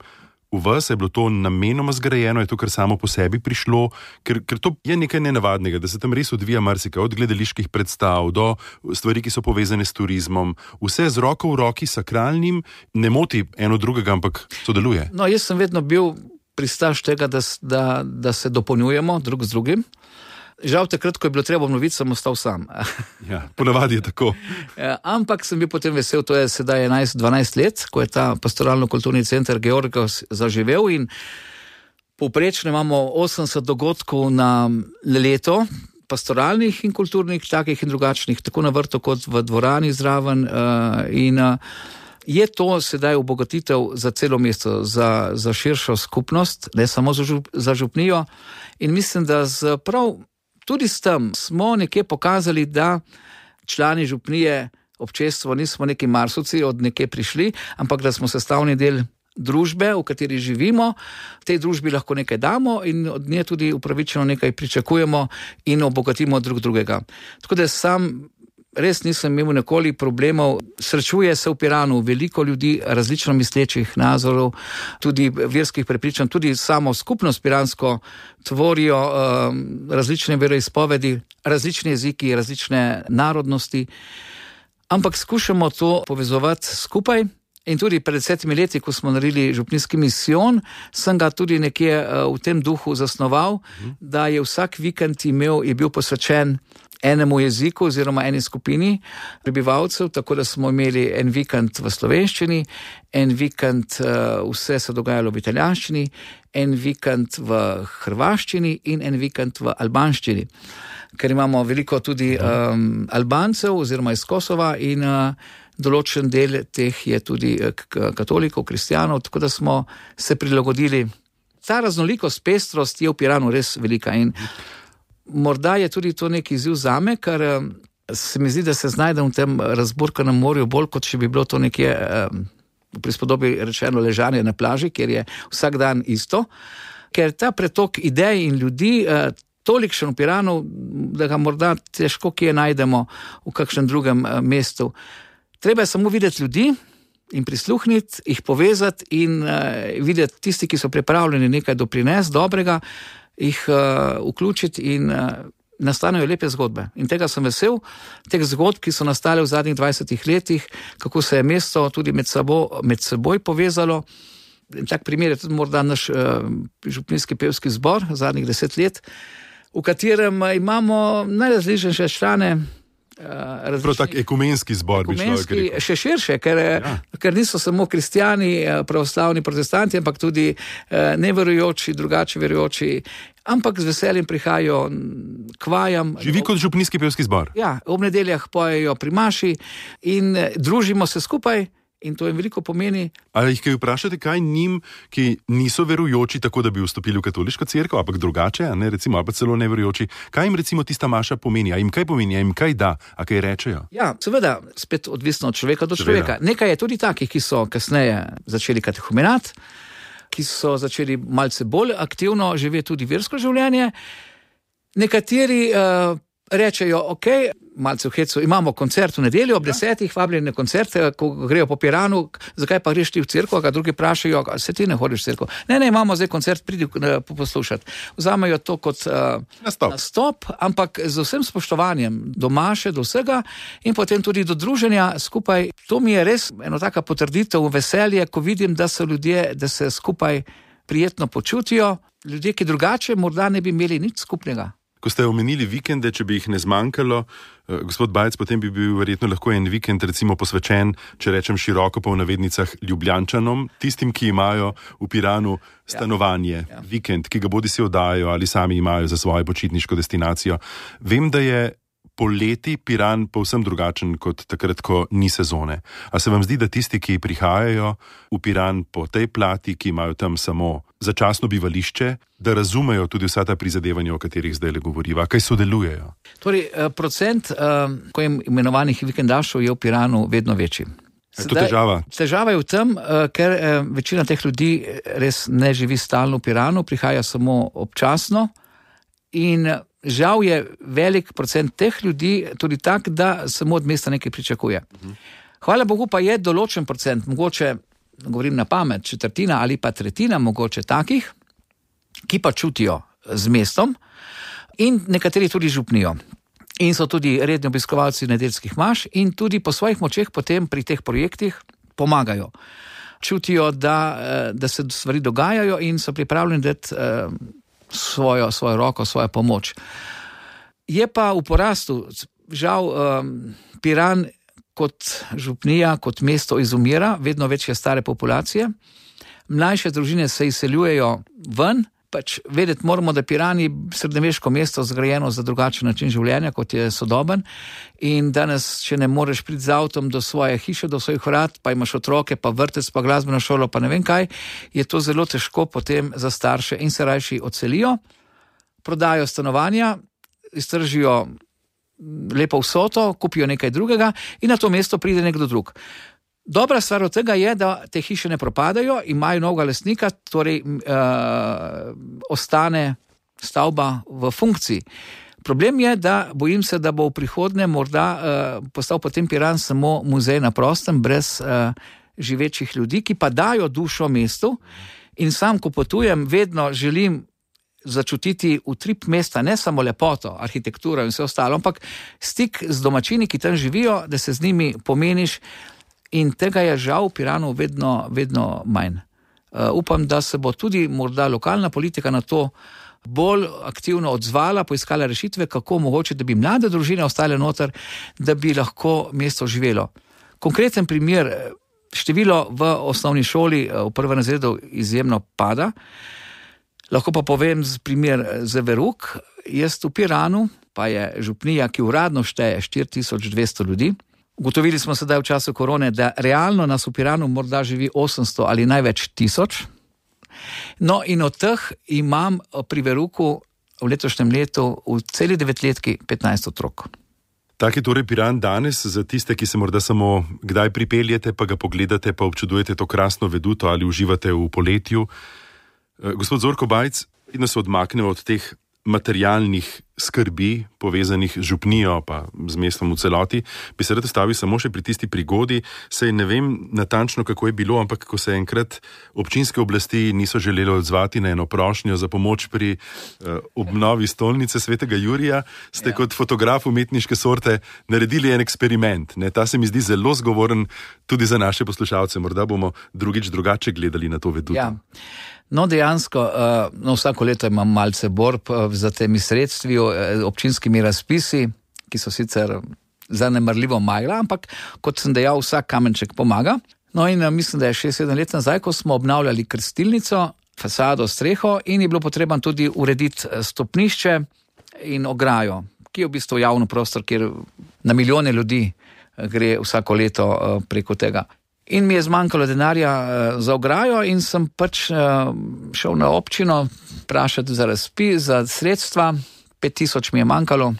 v vas, je bilo to namenoma zgrajeno, je to kar samo po sebi prišlo, ker to je nekaj nenavadnega, da se tam res odvija marsikaj, od gledaliških predstav do stvari, ki so povezane s turizmom, vse z roko v roki, sakralnim, ne moti eno drugega, ampak sodeluje. No, jaz sem vedno bil pristaš tega, da se dopolnjujemo drug z drugim. Žal takrat, ko je bilo treba obnoviti, sem ostal sam. Ja, ponavadi je tako. Ampak sem bil potem vesel, to je sedaj 11-12 let, ko je ta pastoralno-kulturni center Georgos zaživel in povprečno imamo 80 dogodkov na leto, pastoralnih in kulturnih, takih in drugačnih, tako na vrtu kot v dvorani zraven in je to sedaj obogatitev za celo mesto, za širšo skupnost, ne samo za župnijo in mislim, da tudi s tem smo nekje pokazali, da člani župnije, občestvo nismo neki marsovci od nekje prišli, ampak da smo sestavni del družbe, v kateri živimo, tej družbi lahko nekaj damo in od nje tudi upravičeno nekaj pričakujemo in obogatimo drug drugega. Tako da sam res nisem imel nikoli problemov, srečuje se v Piranu veliko ljudi, različno mislečih nazorov, tudi verskih prepričanj, tudi samo skupnost piransko tvorijo različne veroizpovedi, različni jeziki, različne narodnosti, ampak skušamo to povezovati skupaj. In tudi pred 7 leti, ko smo naredili župnijski misijon, sem ga tudi nekje v tem duhu zasnoval, da je vsak vikend je bil posvečen enemu jeziku oziroma eni skupini prebivalcev, tako da smo imeli en vikend v slovenščini, en vikend vse se dogajalo v italijanščini, en vikend v hrvaščini in en vikend v albanščini. Ker imamo veliko tudi Albancev oziroma iz Kosova in določen del teh je tudi katolikov, kristjanov, tako da smo se prilagodili. Ta raznolikost, pestrost je v Piranu res velika in morda je tudi to neki izziv zame, ker se mi zdi, da se znajdem v tem razburkanem morju bolj, kot če bi bilo to nekje v prispodobi rečeno ležanje na plaži, kjer je vsak dan isto, ker ta pretok idej in ljudi tolikšen v Piranu, da ga morda težko kje najdemo v kakšnem drugem mestu. Treba je samo videti ljudi in prisluhniti, jih povezati in videti tisti, ki so pripravljeni nekaj doprinesti dobrega, jih vključiti in nastanejo lepe zgodbe. In tega sem vesel, teh zgodb, ki so nastale v zadnjih 20 letih, kako se je mesto tudi med seboj povezalo. Tak primer je tudi morda naš župnijski pevski zbor zadnjih 10 let, v katerem imamo najrazličnejše člane. Prav tak ekumenski zbor bi človek rekel. Še širše, ker niso samo kristjani, pravoslavni protestanti, ampak tudi neverujoči, drugače verujoči, ampak z veseljem prihajajo k vajam. Živi kot župnijski pevski zbor. Ja, ob nedeljah pojejo pri maši in družimo se skupaj. In to jim veliko pomeni. Ali jih kaj vprašate, kaj njim, ki niso verujoči, tako da bi vstopili v katoliško cerkev, ampak drugače, a ne, recimo, ali pa celo neverujoči, kaj jim recimo tista maša pomeni, a jim kaj pomeni, a jim kaj da, a kaj rečejo? Ja, seveda, spet odvisno od človeka do človeka. Nekaj je tudi takih, ki so kasneje začeli katehumenat, ki so začeli malce bolj aktivno živeti tudi versko življenje. Nekateri rečejo, ok, malce v hecu, imamo koncert v nedeljo ob 10, vabljeni na koncert, ko grejo po Piranu, zakaj pa greš ti v cerkev, a drugi vprašajo, se ti ne hodiš v cerkev. Ne, imamo zdaj koncert, pridi poslušati. Vzamejo to kot nastop, ampak z vsem spoštovanjem do maše, do vsega in potem tudi do druženja skupaj. To mi je res eno taka potrditev, veselje, ko vidim, da so ljudje, da se skupaj prijetno počutijo, ljudje, ki drugače morda ne bi imeli nič skupnega. Ko ste omenili vikende, če bi jih ne zmanjkalo, gospod Bajec, potem bi bil verjetno lahko en vikend recimo posvečen, če rečem široko pa v navednicah, Ljubljančanom, tistim, ki imajo v Piranu stanovanje, vikend, ki ga bodisi oddajo ali sami imajo za svojo počitniško destinacijo. Vem, da je poleti Piran povsem drugačen kot takrat, ko ni sezone. A se vam zdi, da tisti, ki prihajajo v Piran po tej plati, ki imajo tam samo začasno bivališče, da razumejo tudi vsa ta prizadevanja, o katerih zdaj le govoriva, kaj sodelujejo? Torej, procent imenovanih vikendašov je v Piranu vedno večji. Je to težava? Težava je v tem, ker večina teh ljudi res ne živi stalno v Piranu, prihaja samo občasno in žal je velik procent teh ljudi tudi tak, da samo od mesta nekaj pričakuje. Hvala Bogu pa je določen procent, mogoče, govorim na pamet, četrtina ali pa tretjina mogoče takih, ki pa čutijo z mestom in nekateri tudi župnijo. In so tudi redni obiskovalci nedeljskih maš in tudi po svojih močeh potem pri teh projektih pomagajo. Čutijo, da se stvari dogajajo in so pripravljeni dati svojo roko, svojo pomoč. Je pa v porastu, žal, Piran kot župnija, kot mesto izumira, vedno večje stare populacije. Mlajše družine se izseljujejo ven, pač vedeti moramo, da Piran je srednjeveško mesto zgrajeno za drugačen način življenja, kot je sodoben. In danes, če ne moreš priti z avtom do svoje hiše, do svojih vrat, pa imaš otroke, pa vrtec, pa glasbeno šolo, pa ne vem kaj, je to zelo težko potem za starše in se rajši odselijo, prodajo stanovanja, iztržijo lepo vsoto, kupijo nekaj drugega in na to mesto pride nekdo drug. Dobra stvar od tega je, da te hiše ne propadajo, imajo novega lastnika, torej ostane stavba v funkciji. Problem je, da bojim se, da bo v prihodnje morda postal potem Piran samo muzej na prostem, brez živečih ljudi, ki pa dajo dušo mestu in sam, ko potujem, vedno želim začutiti utrip mesta, ne samo lepoto, arhitekturo in vse ostalo, ampak stik z domačini, ki tam živijo, da se z njimi pomeniš. In tega je žal v Piranu vedno manj. Upam, da se bo tudi morda lokalna politika na to bolj aktivno odzvala, poiskala rešitve, kako mogoče, da bi mlade družine ostale noter, da bi lahko mesto živelo. Konkreten primer, število v osnovni šoli v prvem razredu izjemno pada. Lahko pa povem primer za Veruk. Jaz v Piranu, pa je župnija, ki uradno šteje 4200 ljudi, ugotovili smo sedaj v času korone, da realno nas v Piranu morda živi 800 ali največ 1000. No in od teh imam pri Veruku v letošnjem letu v celi 9-letki 15 otrok. Tak je torej Piran danes za tiste, ki se morda samo kdaj pripeljete, pa ga pogledate, pa občudujete to krasno veduto ali uživate v poletju. Gospod Zorko Bajc, in se odmaknemo od teh materialnih skrbi, povezanih z župnijo pa z mestom v celoti, bi se rad ustavil samo še pri tisti prigodi. Sej ne vem natančno, kako je bilo, ampak ko se enkrat občinske oblasti niso želeli odzvati na eno prošnjo za pomoč pri obnovi stolnice Svetega Jurija, ste kot fotograf umetniške sorte naredili en eksperiment. Ta se mi zdi zelo zgovoren tudi za naše poslušalce. Morda bomo drugič drugače gledali na to veduto. Ja. No, dejansko, vsako leto imam malce borb za temi sredstvi, občinskimi razpisi, ki so sicer zanemarljivo majla, ampak kot sem dejal, vsak kamenček pomaga. No in mislim, da je 6-7 let nazaj, ko smo obnavljali krstilnico, fasado, streho in je bilo potrebno tudi urediti stopnišče in ograjo, ki je v bistvu javni prostor, kjer na milijone ljudi gre vsako leto preko tega. In mi je zmanjkalo denarja za ograjo in sem pač šel na občino vprašati za razpis, za sredstva, 5000 mi je manjkalo.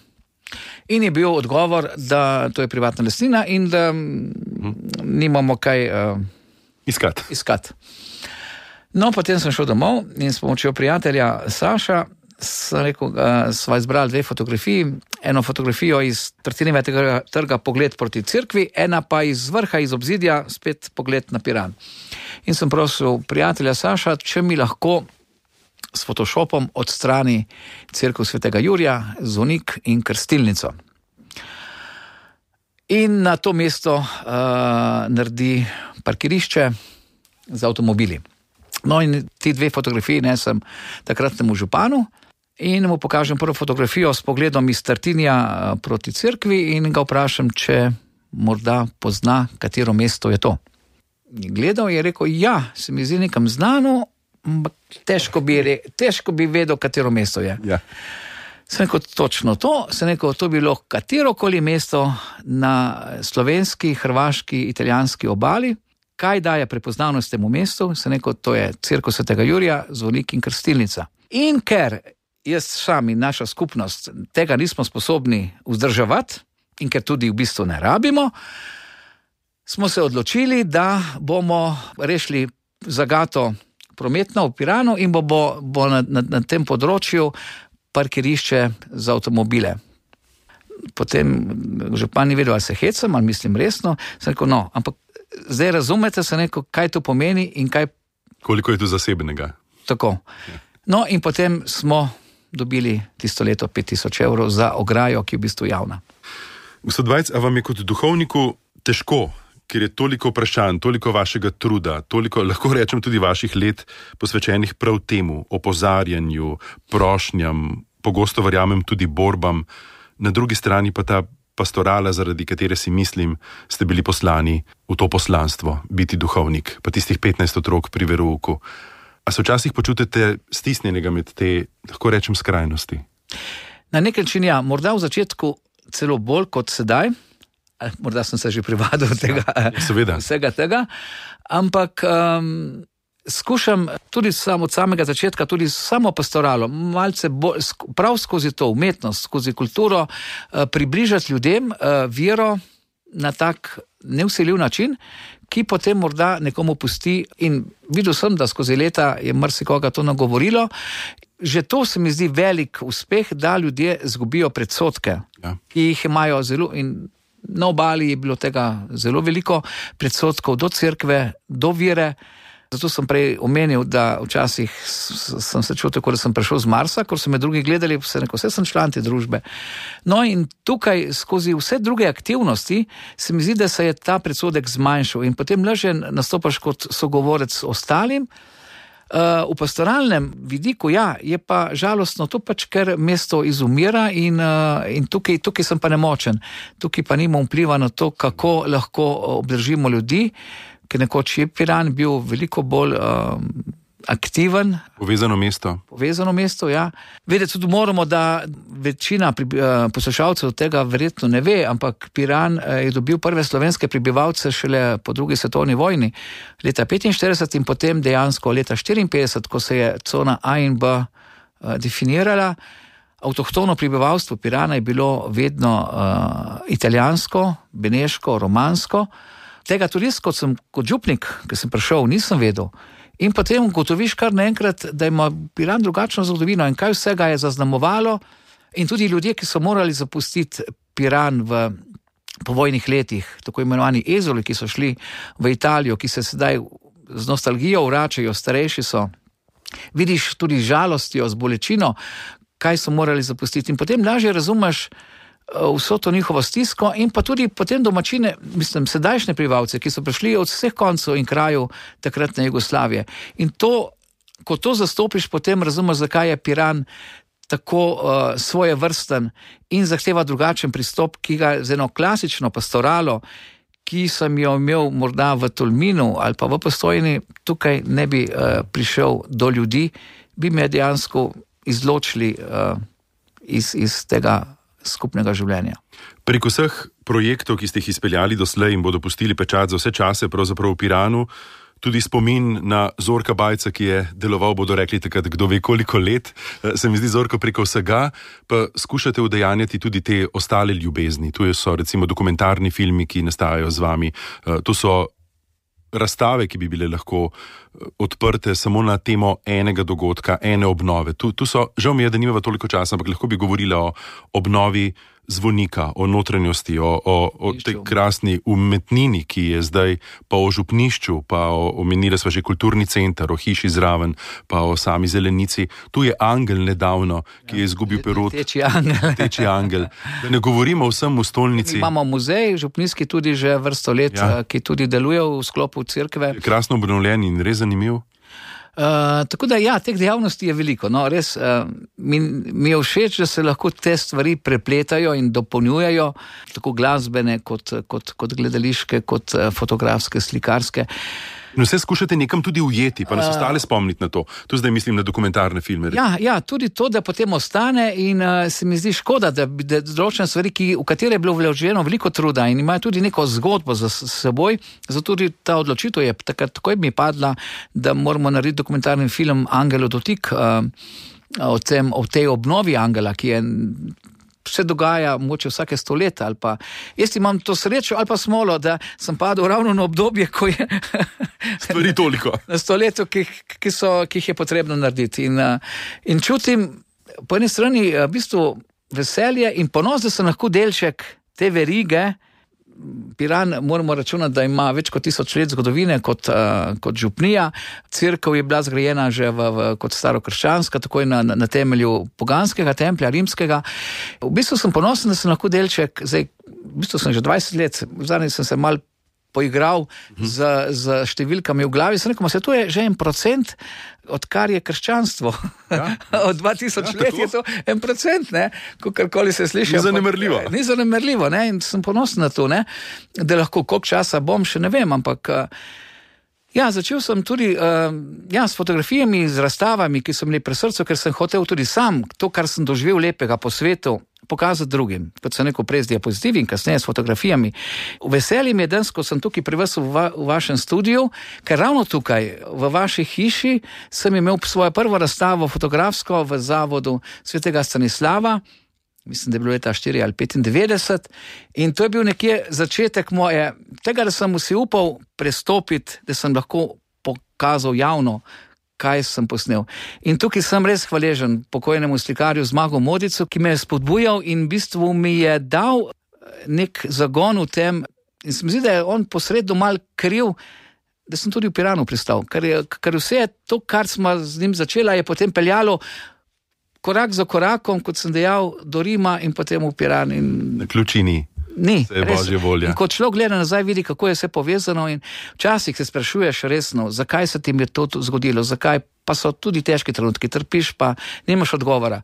In je bil odgovor, da to je privatna lastnina in da nimamo kaj iskati. No, potem sem šel domov in s pomočjo prijatelja Saša sem rekel, sva izbrali 2 fotografiji. Eno fotografijo iz Tartinijevega trga pogled proti cerkvi, ena pa iz vrha, iz obzidja, spet pogled na Piran. In sem prosil prijatelja Saša, če mi lahko s Photoshopom odstrani cerkev Svetega Jurija, zvonik in krstilnico. In na to mesto naredi parkirišče z avtomobili. No in ti 2 fotografiji nesem takratnemu županu in mu pokažem prvo fotografijo s pogledom iz Tartinija proti cerkvi in ga vprašam, če morda pozna, katero mesto je to. Gledal je rekel, ja, se mi zdi nekam znano, ampak težko bi vedel, katero mesto je. Ja. Sem rekel, točno to, to bi bilo katerokoli mesto na slovenski, hrvaški, italijanski obali. Kaj daje prepoznavnost temu mestu? Sem rekel, to je Cerkev svetega Jurija, zvonik in krstilnica. In ker jaz sami, naša skupnost, tega nismo sposobni vzdrževati in ker tudi v bistvu ne rabimo, smo se odločili, da bomo rešili zagato prometno v Piranu in bo na tem področju parkirišče za avtomobile. Potem župan ni vedel, ali se hecam, ali mislim resno. Sem rekel, ampak zdaj razumete, kaj to pomeni in kaj... Koliko je tu zasebnega. Tako. No in potem smo dobili tisto leto 5,000 evrov za ograjo, ki je v bistvu javna. Gospod Vajc, a vam je kot duhovniku težko, ker je toliko vprašanj, toliko vašega truda, toliko, lahko rečem, tudi vaših let posvečenih prav temu, opozarjanju, prošnjam, pogosto verjamem tudi borbam, na drugi strani pa ta pastorala, zaradi katere si mislim, ste bili poslani v to poslanstvo, biti duhovnik, pa tistih 15 otrok pri verouku. A se včasih počutite stisnjenega med te, lahko rečem, skrajnosti? Na nek način ja, morda v začetku celo bolj kot sedaj, morda sem se že privadil vsega tega, ampak skušam tudi od samega začetka, tudi samo pastoralo, malce prav skozi to umetnost, skozi kulturo, približati ljudem vero na tak nevsiljiv način, ki potem morda nekomu pusti, in videl sem, da skozi leta je marsikoga to nagovorilo. Že to se mi zdi velik uspeh, da ljudje zgubijo predsodke, ki jih imajo zelo, in na obali je bilo tega zelo veliko predsodkov do cerkve, do vere. Zato sem prej omenil, da včasih sem se čutil, da sem prišel z Marsa, ko so me drugi gledali, vse sem član te družbe. No in tukaj skozi vse druge aktivnosti se mi zdi, da se je ta predsodek zmanjšal in potem lažje nastopaš kot sogovorec ostalim. V pastoralnem vidiku, je pa žalostno to pač, ker mesto izumira in tukaj sem pa nemočen. Tukaj pa nimam vpliva na to, kako lahko obdržimo ljudi, ker nekoč je Piran bil veliko bolj aktiven. Povezano mesto, ja. Vedeti tudi moramo, da večina poslušalcev tega verjetno ne ve, ampak Piran je dobil prve slovenske prebivalce šele po drugi svetovni vojni, leta 1945 in potem dejansko leta 1954, ko se je cona A in B definirala. Avtohtono prebivalstvo Pirana je bilo vedno italijansko, beneško, romansko. Tega tudi jaz, kot župnik, ki sem prišel, nisem vedel. In potem ugotoviš kar naenkrat, da ima Piran drugačno zgodovino in kaj vsega je zaznamovalo. In tudi ljudje, ki so morali zapustiti Piran v povojnih letih, tako imenovani ezoli, ki so šli v Italijo, ki se sedaj z nostalgijo vračajo, starejši so, vidiš tudi žalostjo, z bolečino, kaj so morali zapustiti. In potem lažje razumeš vso to njihovo stisko in pa tudi potem domačine, sedajšnje prebivalce, ki so prišli od vseh koncev in krajev takratne Jugoslavije. In to, ko to zastopiš, potem razumeš, zakaj je Piran tako svojevrsten in zahteva drugačen pristop, ki ga z eno klasično pastoralo, ki sem jo imel morda v Tolminu ali pa v Postojni, tukaj ne bi prišel do ljudi, bi me dejansko izločili iz tega skupnega življenja. Prek vseh projektov, ki ste jih izpeljali doslej in bodo pustili pečat za vse čase, pravzaprav v Piranu, tudi spomin na Zorka Bajca, ki je deloval, bodo rekli takrat, kdo ve koliko let, se mi zdi Zorko preko vsega, pa skušate udejanjati tudi te ostale ljubezni. Tu so recimo dokumentarni filmi, ki nastajajo z vami, tu so razstave, ki bi bile lahko odprte samo na temo enega dogodka, ene obnove. Tu so, žal mi je, da nimava toliko časa, ampak lahko bi govorila o obnovi zvonika, o notranjosti, o tej krasni umetnini, ki je zdaj, pa o župnišču, pa omenila sva že kulturni center, o hiši zraven, pa o sami zelenici. Tu je angel nedavno, ki je izgubil perut. Teči angel. Da ne govorimo o vsem v stolnici. Imamo muzej, župnijski tudi že vrsto let, ki tudi deluje v sklopu cerkve. Krasno obnovljen in res zanimiv. Tako da teh dejavnosti je veliko. No, res mi je všeč, da se lahko te stvari prepletajo in dopolnjujejo, tako glasbene kot gledališke, kot fotografske, slikarske. In vse skušate nekam tudi ujeti, pa nas ostale spomniti na to. Tu zdaj mislim na dokumentarne filme. Ja, tudi to, da potem ostane in se mi zdi škoda, da določene stvari, v katere je bilo vloženo veliko truda in imajo tudi neko zgodbo za seboj, zato tudi ta odločitev je takoj mi padla, da moramo narediti dokumentarni film Angelo dotik o tej obnovi angela, ki je se dogaja mogoče vsake 100 let ali pa jaz imam to srečo ali pa smolo, da sem padel ravno na obdobje, ko je stvari toliko. Na 100 letu, ki jih je potrebno narediti. In čutim po eni strani v bistvu veselje in ponos, da sem lahko delček te verige. Piran moramo računati, da ima več kot 1000 let zgodovine kot župnija. Cerkev je bila zgrajena že kot starokrščanska, takoj na temelju poganskega templja, rimskega. V bistvu sem ponosen, da sem lahko delček, zdaj, v bistvu sem že 20 let, zadnji sem se mal poigral z številkami v glavi, sem rekel, to je že 1%, odkar je krščanstvo. Ja. Od 2000 let je to 1%, ne? Kakorkoli se sliši. Ni zanemarljivo, ne? In sem ponosen na to, ne? Da lahko koliko časa bom, še ne vem, ampak začel sem tudi s fotografijami, z razstavami, ki so bili pri srcu, ker sem hotel tudi sam to, kar sem doživel lepega po svetu, pokazati drugim, kot sem rekel prej z diapozitivi in kasneje s fotografijami. Veselje mi je danes, ko sem tukaj pri vas v vašem studiu, ker ravno tukaj, v vaši hiši, sem imel svojo prvo razstavo fotografsko v Zavodu svetega Stanislava, mislim, da je bilo leta 4 ali 95, in to je bil nekje začetek moje, tega, da sem si upal prestopiti, da sem lahko pokazal javno, kaj sem posnel. In tukaj sem res hvaležen pokojnemu slikarju Zmagu Modicu, ki me je spodbujal in v bistvu mi je dal nek zagon v tem, in se mi zdi, da je on posredno mal kriv, da sem tudi v Piranu pristal, ker vse to, kar smo z njim začela, je potem peljalo korak za korakom, kot sem dejal, do Rima in potem v Piran. Na ključini. Ni, se je Božja volja. In ko človek gleda nazaj, vidi, kako je vse povezano in včasih se sprašuješ resno, zakaj se ti je to zgodilo, zakaj pa so tudi težki trenutki, trpiš pa nimaš odgovora.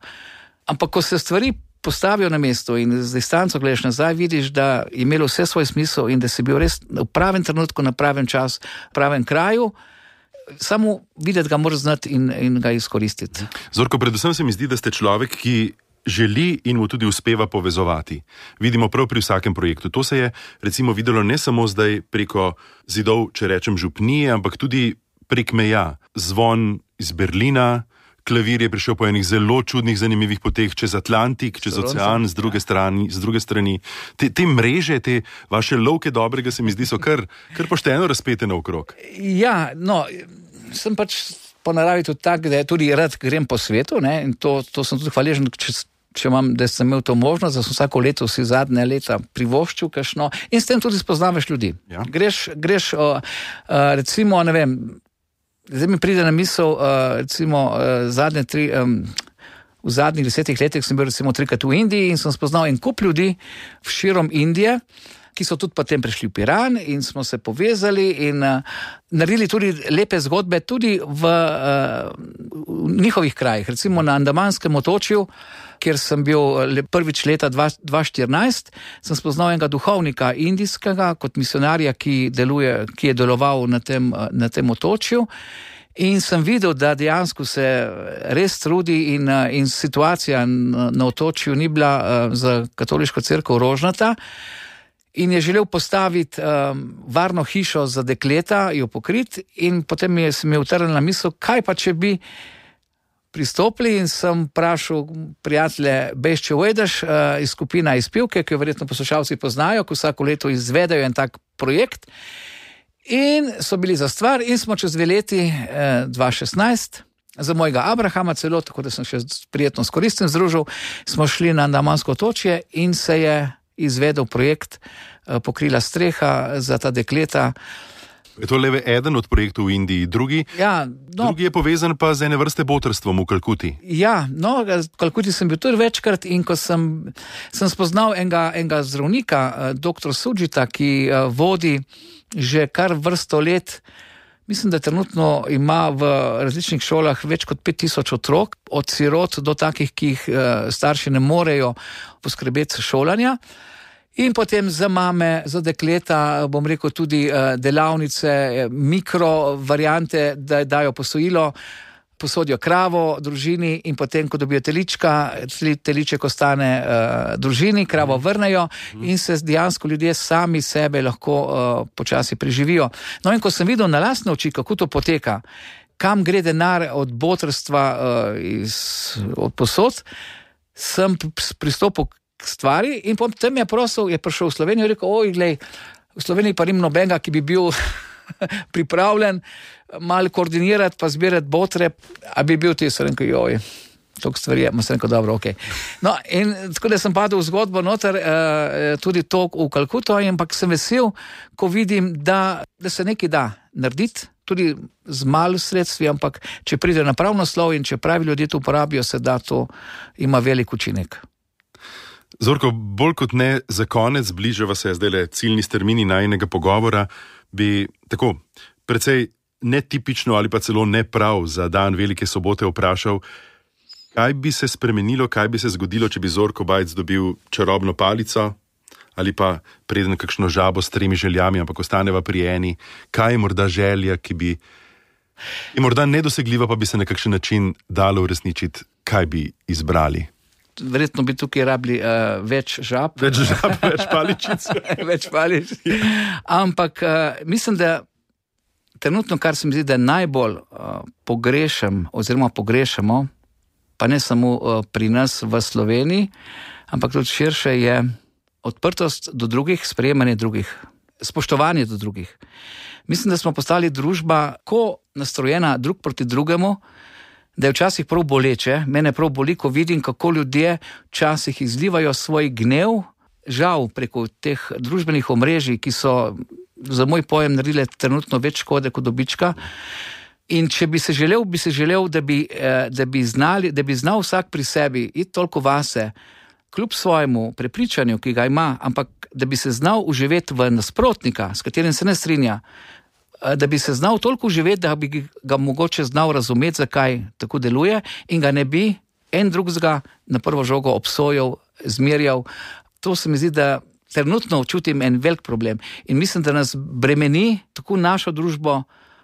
Ampak ko se stvari postavijo na mesto in z distanco gledaš nazaj, vidiš, da je imelo vse svoj smisel in da si bil res v pravem trenutku, na pravem čas, v pravem kraju, samo videti ga moraš znati in ga izkoristiti. Zorko, predvsem se mi zdi, da ste človek, ki želi in mu tudi uspeva povezovati. Vidimo prav pri vsakem projektu. To se je recimo videlo ne samo zdaj preko zidov, če rečem župnije, ampak tudi prek meja. Zvon iz Berlina, klavir je prišel po enih zelo čudnih, zanimivih poteh čez Atlantik, čez ocean, z druge strani. Te mreže, te vaše lovke dobrega se mi zdi so kar pošteno razpete naokrog. Ja, sem pač po naravi tudi tak, da tudi rad grem po svetu, ne, in to sem tudi hvaležen, če da sem imel to možnost, da sem vsako leto si zadnje leta privoščil kakšno in s tem tudi spoznavaš ljudi. Ja. Greš recimo, ne vem, zdaj mi pride na misel, recimo v zadnjih 10 letih sem bil recimo 3-krat v Indiji in sem spoznal en kup ljudi širom Indije, ki so tudi potem prišli v Piran in smo se povezali in naredili tudi lepe zgodbe tudi v njihovih krajih. Recimo na Andamanskem otočju, kjer sem bil prvič leta 2014, sem spoznal enega duhovnika indijskega kot misionarja, ki je deloval na tem otočju. In sem videl, da dejansko se res trudi in situacija na otočju ni bila za katoliško cerkev rožnata. In je želel postaviti varno hišo za dekleta, jo pokriti, in potem se mi je utrnila na misel, kaj pa če bi pristopili, in sem vprašal prijatelje Bešče Uedeš iz skupina Izpivke, ki jo verjetno poslušalci poznajo, ko vsako leto izvedajo en tak projekt. In so bili za stvar in smo čez 2 leti, 2016, za mojega Abrahama celo, tako da sem še prijetno s koristim združil, smo šli na Andamansko otočje in se je izvedel projekt, pokrila streha za ta dekleta. Je to le eden od projektov v Indiji, drugi je povezan pa z ene vrste botrstvom v Kalkuti. Ja, v Kalkuti sem bil tudi večkrat in ko sem spoznal enega zdravnika, dr. Sudžita, ki vodi že kar vrsto let, mislim, da trenutno ima v različnih šolah več kot 5000 otrok, od sirot do takih, ki jih starši ne morejo poskrbeti šolanja. In potem za mame, za dekleta, bom rekel tudi delavnice, mikro variante, da dajo posojilo, posodijo kravo družini in potem, ko dobijo teliček ostane družini, kravo vrnejo in se dejansko ljudje sami sebe lahko počasi preživijo. No in ko sem videl na lastne oči, kako to poteka, kam gre denar od botrstva, od posod, sem pristopil k stvari in potem je prišel v Slovenijo in rekel, glej, v Sloveniji pa nim nobenega, ki bi bil pripravljen malo koordinirati pa zbirati botre, a bi bil ti, sem rekel, toliko stvari je, sem rekel, dobro, ok. No, in tako da sem padel v zgodbo noter, tudi to v Kalkuto, ampak sem vesel, ko vidim, da se nekaj da narediti, tudi z malo sredstvi, ampak če pride na prav naslov in če pravi ljudje to uporabijo, se da to ima velik učinek. Zorko, bolj kot ne za konec, bližava se zdajle ciljni strmini najinega pogovora, bi tako precej netipično ali pa celo neprav za dan Velike sobote vprašal, kaj bi se spremenilo, kaj bi se zgodilo, če bi Zorko Bajc dobil čarobno palico ali pa preden kakšno žabo s 3 željami, ampak ostaneva pri eni, kaj je morda želja, ki bi je morda nedosegljiva, pa bi se na kakšen način dalo uresničiti, kaj bi izbrali? Verjetno bi tukaj rabili več žab. Več žab, več paličic. Več paličic. Ampak mislim, da trenutno, kar se mi zdi, da najbolj pogrešamo, pa ne samo pri nas v Sloveniji, ampak tudi širše, je odprtost do drugih, sprejemanje drugih, spoštovanje do drugih. Mislim, da smo postali družba, ko nastrojena drug proti drugemu, da je včasih prav boleče. Mene prav boli, ko vidim, kako ljudje včasih izlivajo svoj gnev, žal preko teh družbenih omrežij, ki so za moj pojem naredile trenutno več škode kot dobička. In če bi se želel, da bi znal vsak pri sebi iti toliko vase, kljub svojemu prepričanju, ki ga ima, ampak da bi se znal uživeti v nasprotnika, s katerim se ne strinja, da bi se znal toliko uživeti, da bi ga mogoče znal razumeti, zakaj tako deluje in ga ne bi en drugega na prvo žogo obsojal, zmerjal. To se mi zdi, da trenutno čutim en velik problem in mislim, da nas bremeni tako našo družbo,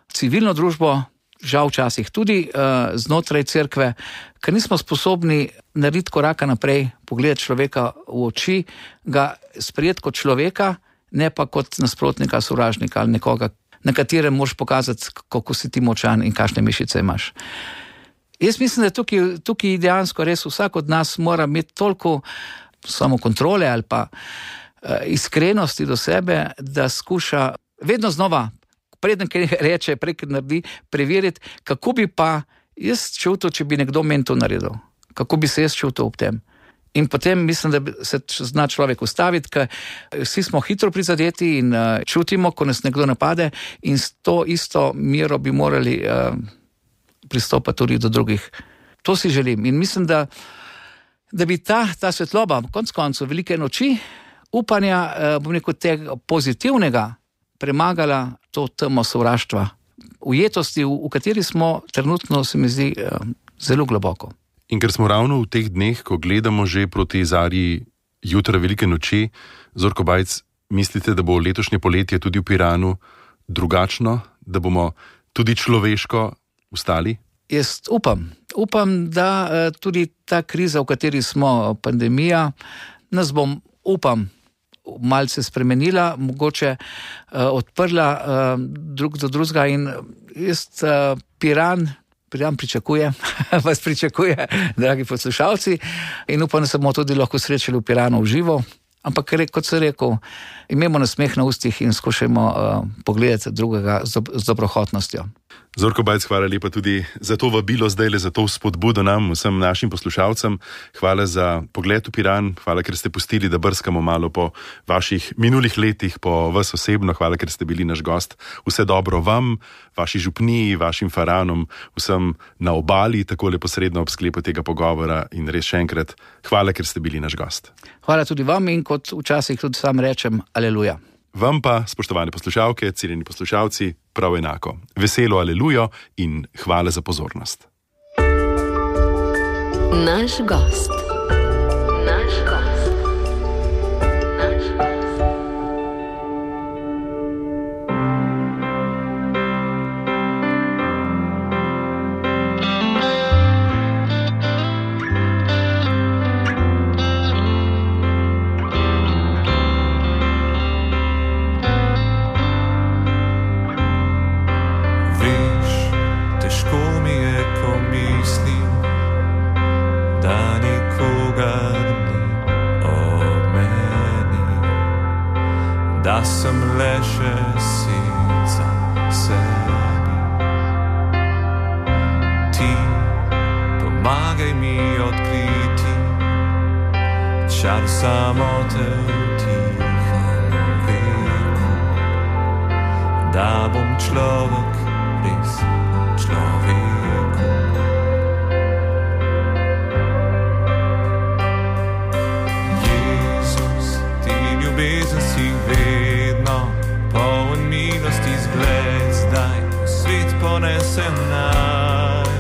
civilno družbo, žal včasih tudi znotraj cerkve, ker nismo sposobni narediti koraka naprej, pogledati človeka v oči, ga sprejeti kot človeka, ne pa kot nasprotnika, sovražnika ali nekoga, na katerem moraš pokazati, kako si ti močan in kakšne mišice imaš. Jaz mislim, da tukaj dejansko res vsak od nas mora imeti toliko samokontrole ali pa iskrenosti do sebe, da skuša vedno znova, preden kaj reče, prek naredi, preveriti, kako bi pa jaz čutil, če bi nekdo meni to naredil. Kako bi se jaz čutil ob tem. In potem mislim, da se zna človek ustaviti, ker vsi smo hitro prizadeti in čutimo, ko nas nekdo napade in s to isto mero bi morali pristopati tudi do drugih. To si želim in mislim, da bi ta svetloba, konec koncev velike noči, upanja, bom rekel, tega pozitivnega premagala to temo sovraštva, ujetosti, v kateri smo trenutno, se mi zdi, zelo globoko. In ker smo ravno v teh dneh, ko gledamo že proti zarji jutra velike noči, Zorko Bajc, mislite, da bo letošnje poletje tudi v Piranu drugačno, da bomo tudi človeško vstali? Jaz upam, da tudi ta kriza, v kateri smo, pandemija, nas bom, malce spremenila, mogoče odprla drug do drugega in jaz Piran vas pričakuje, dragi poslušalci, in upam, da se bomo tudi lahko srečali v Piranu v živo, ampak kot sem rekel, imemo nasmeh na ustih in skušajmo pogledati drugega z dobrohotnostjo. Zorko Bajc, hvala lepa tudi za to vabilo zdajle, za to spodbudo nam, vsem našim poslušalcem. Hvala za pogled v Piran, hvala, ker ste pustili, da brskamo malo po vaših minulih letih, po vas osebno, hvala, ker ste bili naš gost. Vse dobro vam, vaši župniji, vašim faranom, vsem na obali, tako neposredno ob sklepu tega pogovora in res še enkrat, hvala, ker ste bili naš gost. Hvala tudi vam in kot včasih tudi sam rečem, aleluja. Vam pa, spoštovane poslušalke, cenjeni poslušalci, prav enako. Veselo alelujo in hvala za pozornost. Naš gost. da sem le še senca sebi. Ti pomagaj mi odkriti čar samote v tihem veku, da bom človek, res človeku. Jezus, ti ljubezen si vedno poln milosti zgled, zdaj svet ponesem naj.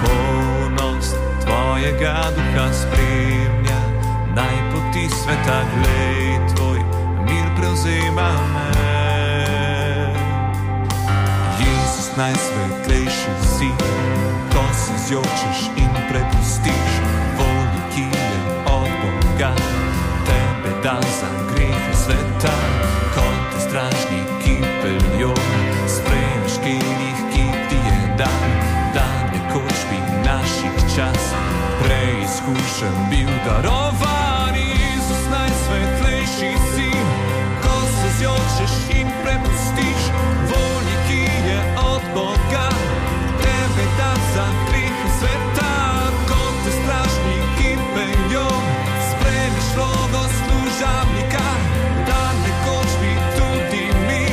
Polnost tvojega duha spremlja, naj poti sveta glej, tvoj mir prevzema me. Jezus, najsvetlejši si, ko se zjočeš in prepustiš volji, ki je od Boga, tebe da za grehe sveta, kot te stražniki peljo, sprejmeš kelih, ki ti je dan, dan nekoč bi naših čas, preizkušen bil darovan. Jezus, najsvetlejši si, ko se zjočeš in prepustiš volji, ki je od Boga, tebe da za grehe sveta, kot te stražniki peljo, sprejmeš vlogo služabnika, da nekoč bi tudi mi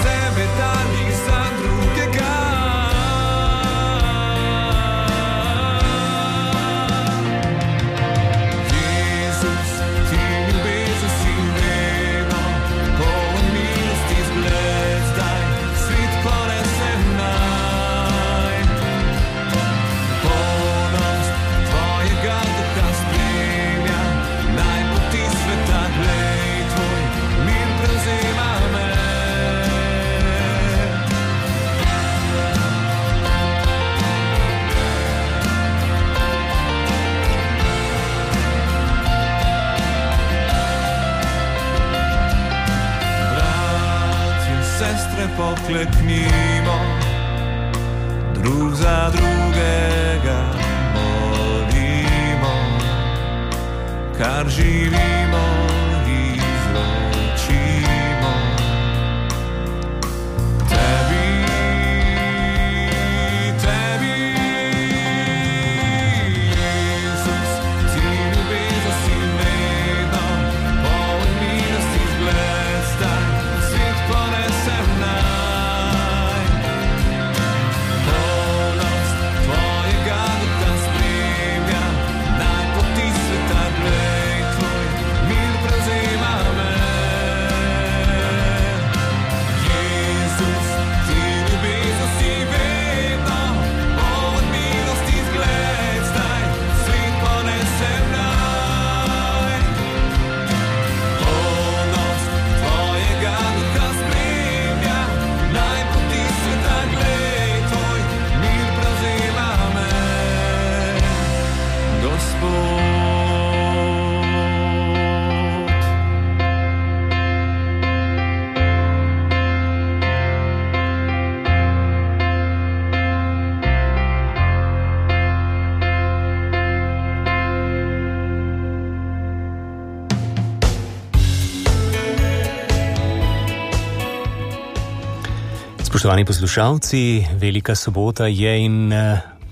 sebe dali za drugega. Jezus, ti ljubezen si vedno poln milosti zgled, zdaj svet ponesem naj. Polnost tvojega duha spremlja, naj poti sveta glej, tvoj mir prevzema me. Bratje, sestre, pokleknimo, drug za drugega molimo, kar živimo, izročimo tebi, tebi. Jezus, ti ljubezen si vedno poln milosti zgled, zdaj svet ponesem naj. Polnost tvojega duha spremlja, naj poti sveta glej, tvoj mir prevzema me. Jezus, ti ljubezen si vedno poln milosti zgled, zdaj svet ponesem naj. Polnost tvojega duha spremlja, naj poti sveta glej, tvoj mir prevzema me, Gospod. Spoštovani poslušalci, velika sobota je in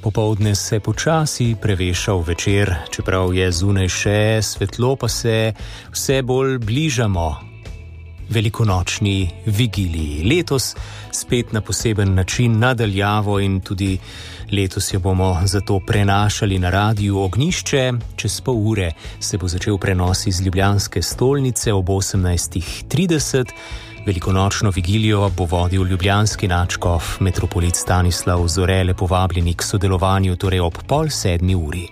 popoldne se počasi preveša v večer, čeprav je zunaj še svetlo, pa se vse bolj bližamo velikonočni vigiliji. Letos spet na poseben način nadaljavo in tudi letos jo bomo zato prenašali na Radiu Ognjišče. Čez pol ure se bo začel prenos iz ljubljanske stolnice ob 18:30. Velikonočno vigilijo bo vodil ljubljanski nadškof metropolit Stanislav Zore, povabljeni k sodelovanju, torej ob 6:30.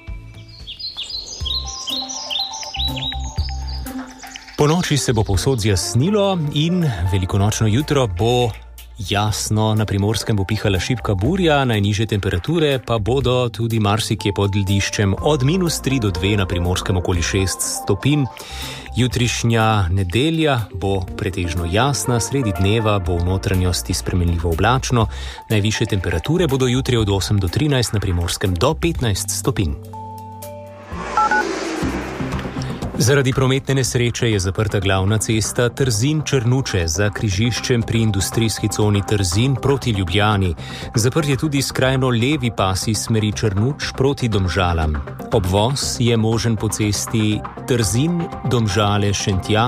Po noči se bo povsod zjasnilo in velikonočno jutro bo jasno, na Primorskem bo pihala šibka burja, najnižje temperature pa bodo tudi marsikje pod lediščem od -3 do 2, na Primorskem okoli 6 stopinj. Jutrišnja nedelja bo pretežno jasna, sredi dneva bo v notranjosti spremenljivo oblačno, najvišje temperature bodo jutri od 8 do 13, na Primorskem do 15 stopinj. Zaradi prometne nesreče je zaprta glavna cesta Trzin-Črnuče za križiščem pri industrijski coni Trzin proti Ljubljani. Zaprt je tudi skrajno levi pas iz smeri Črnuč proti Domžalam. Obvoz je možen po cesti Trzin-Domžale-Šentja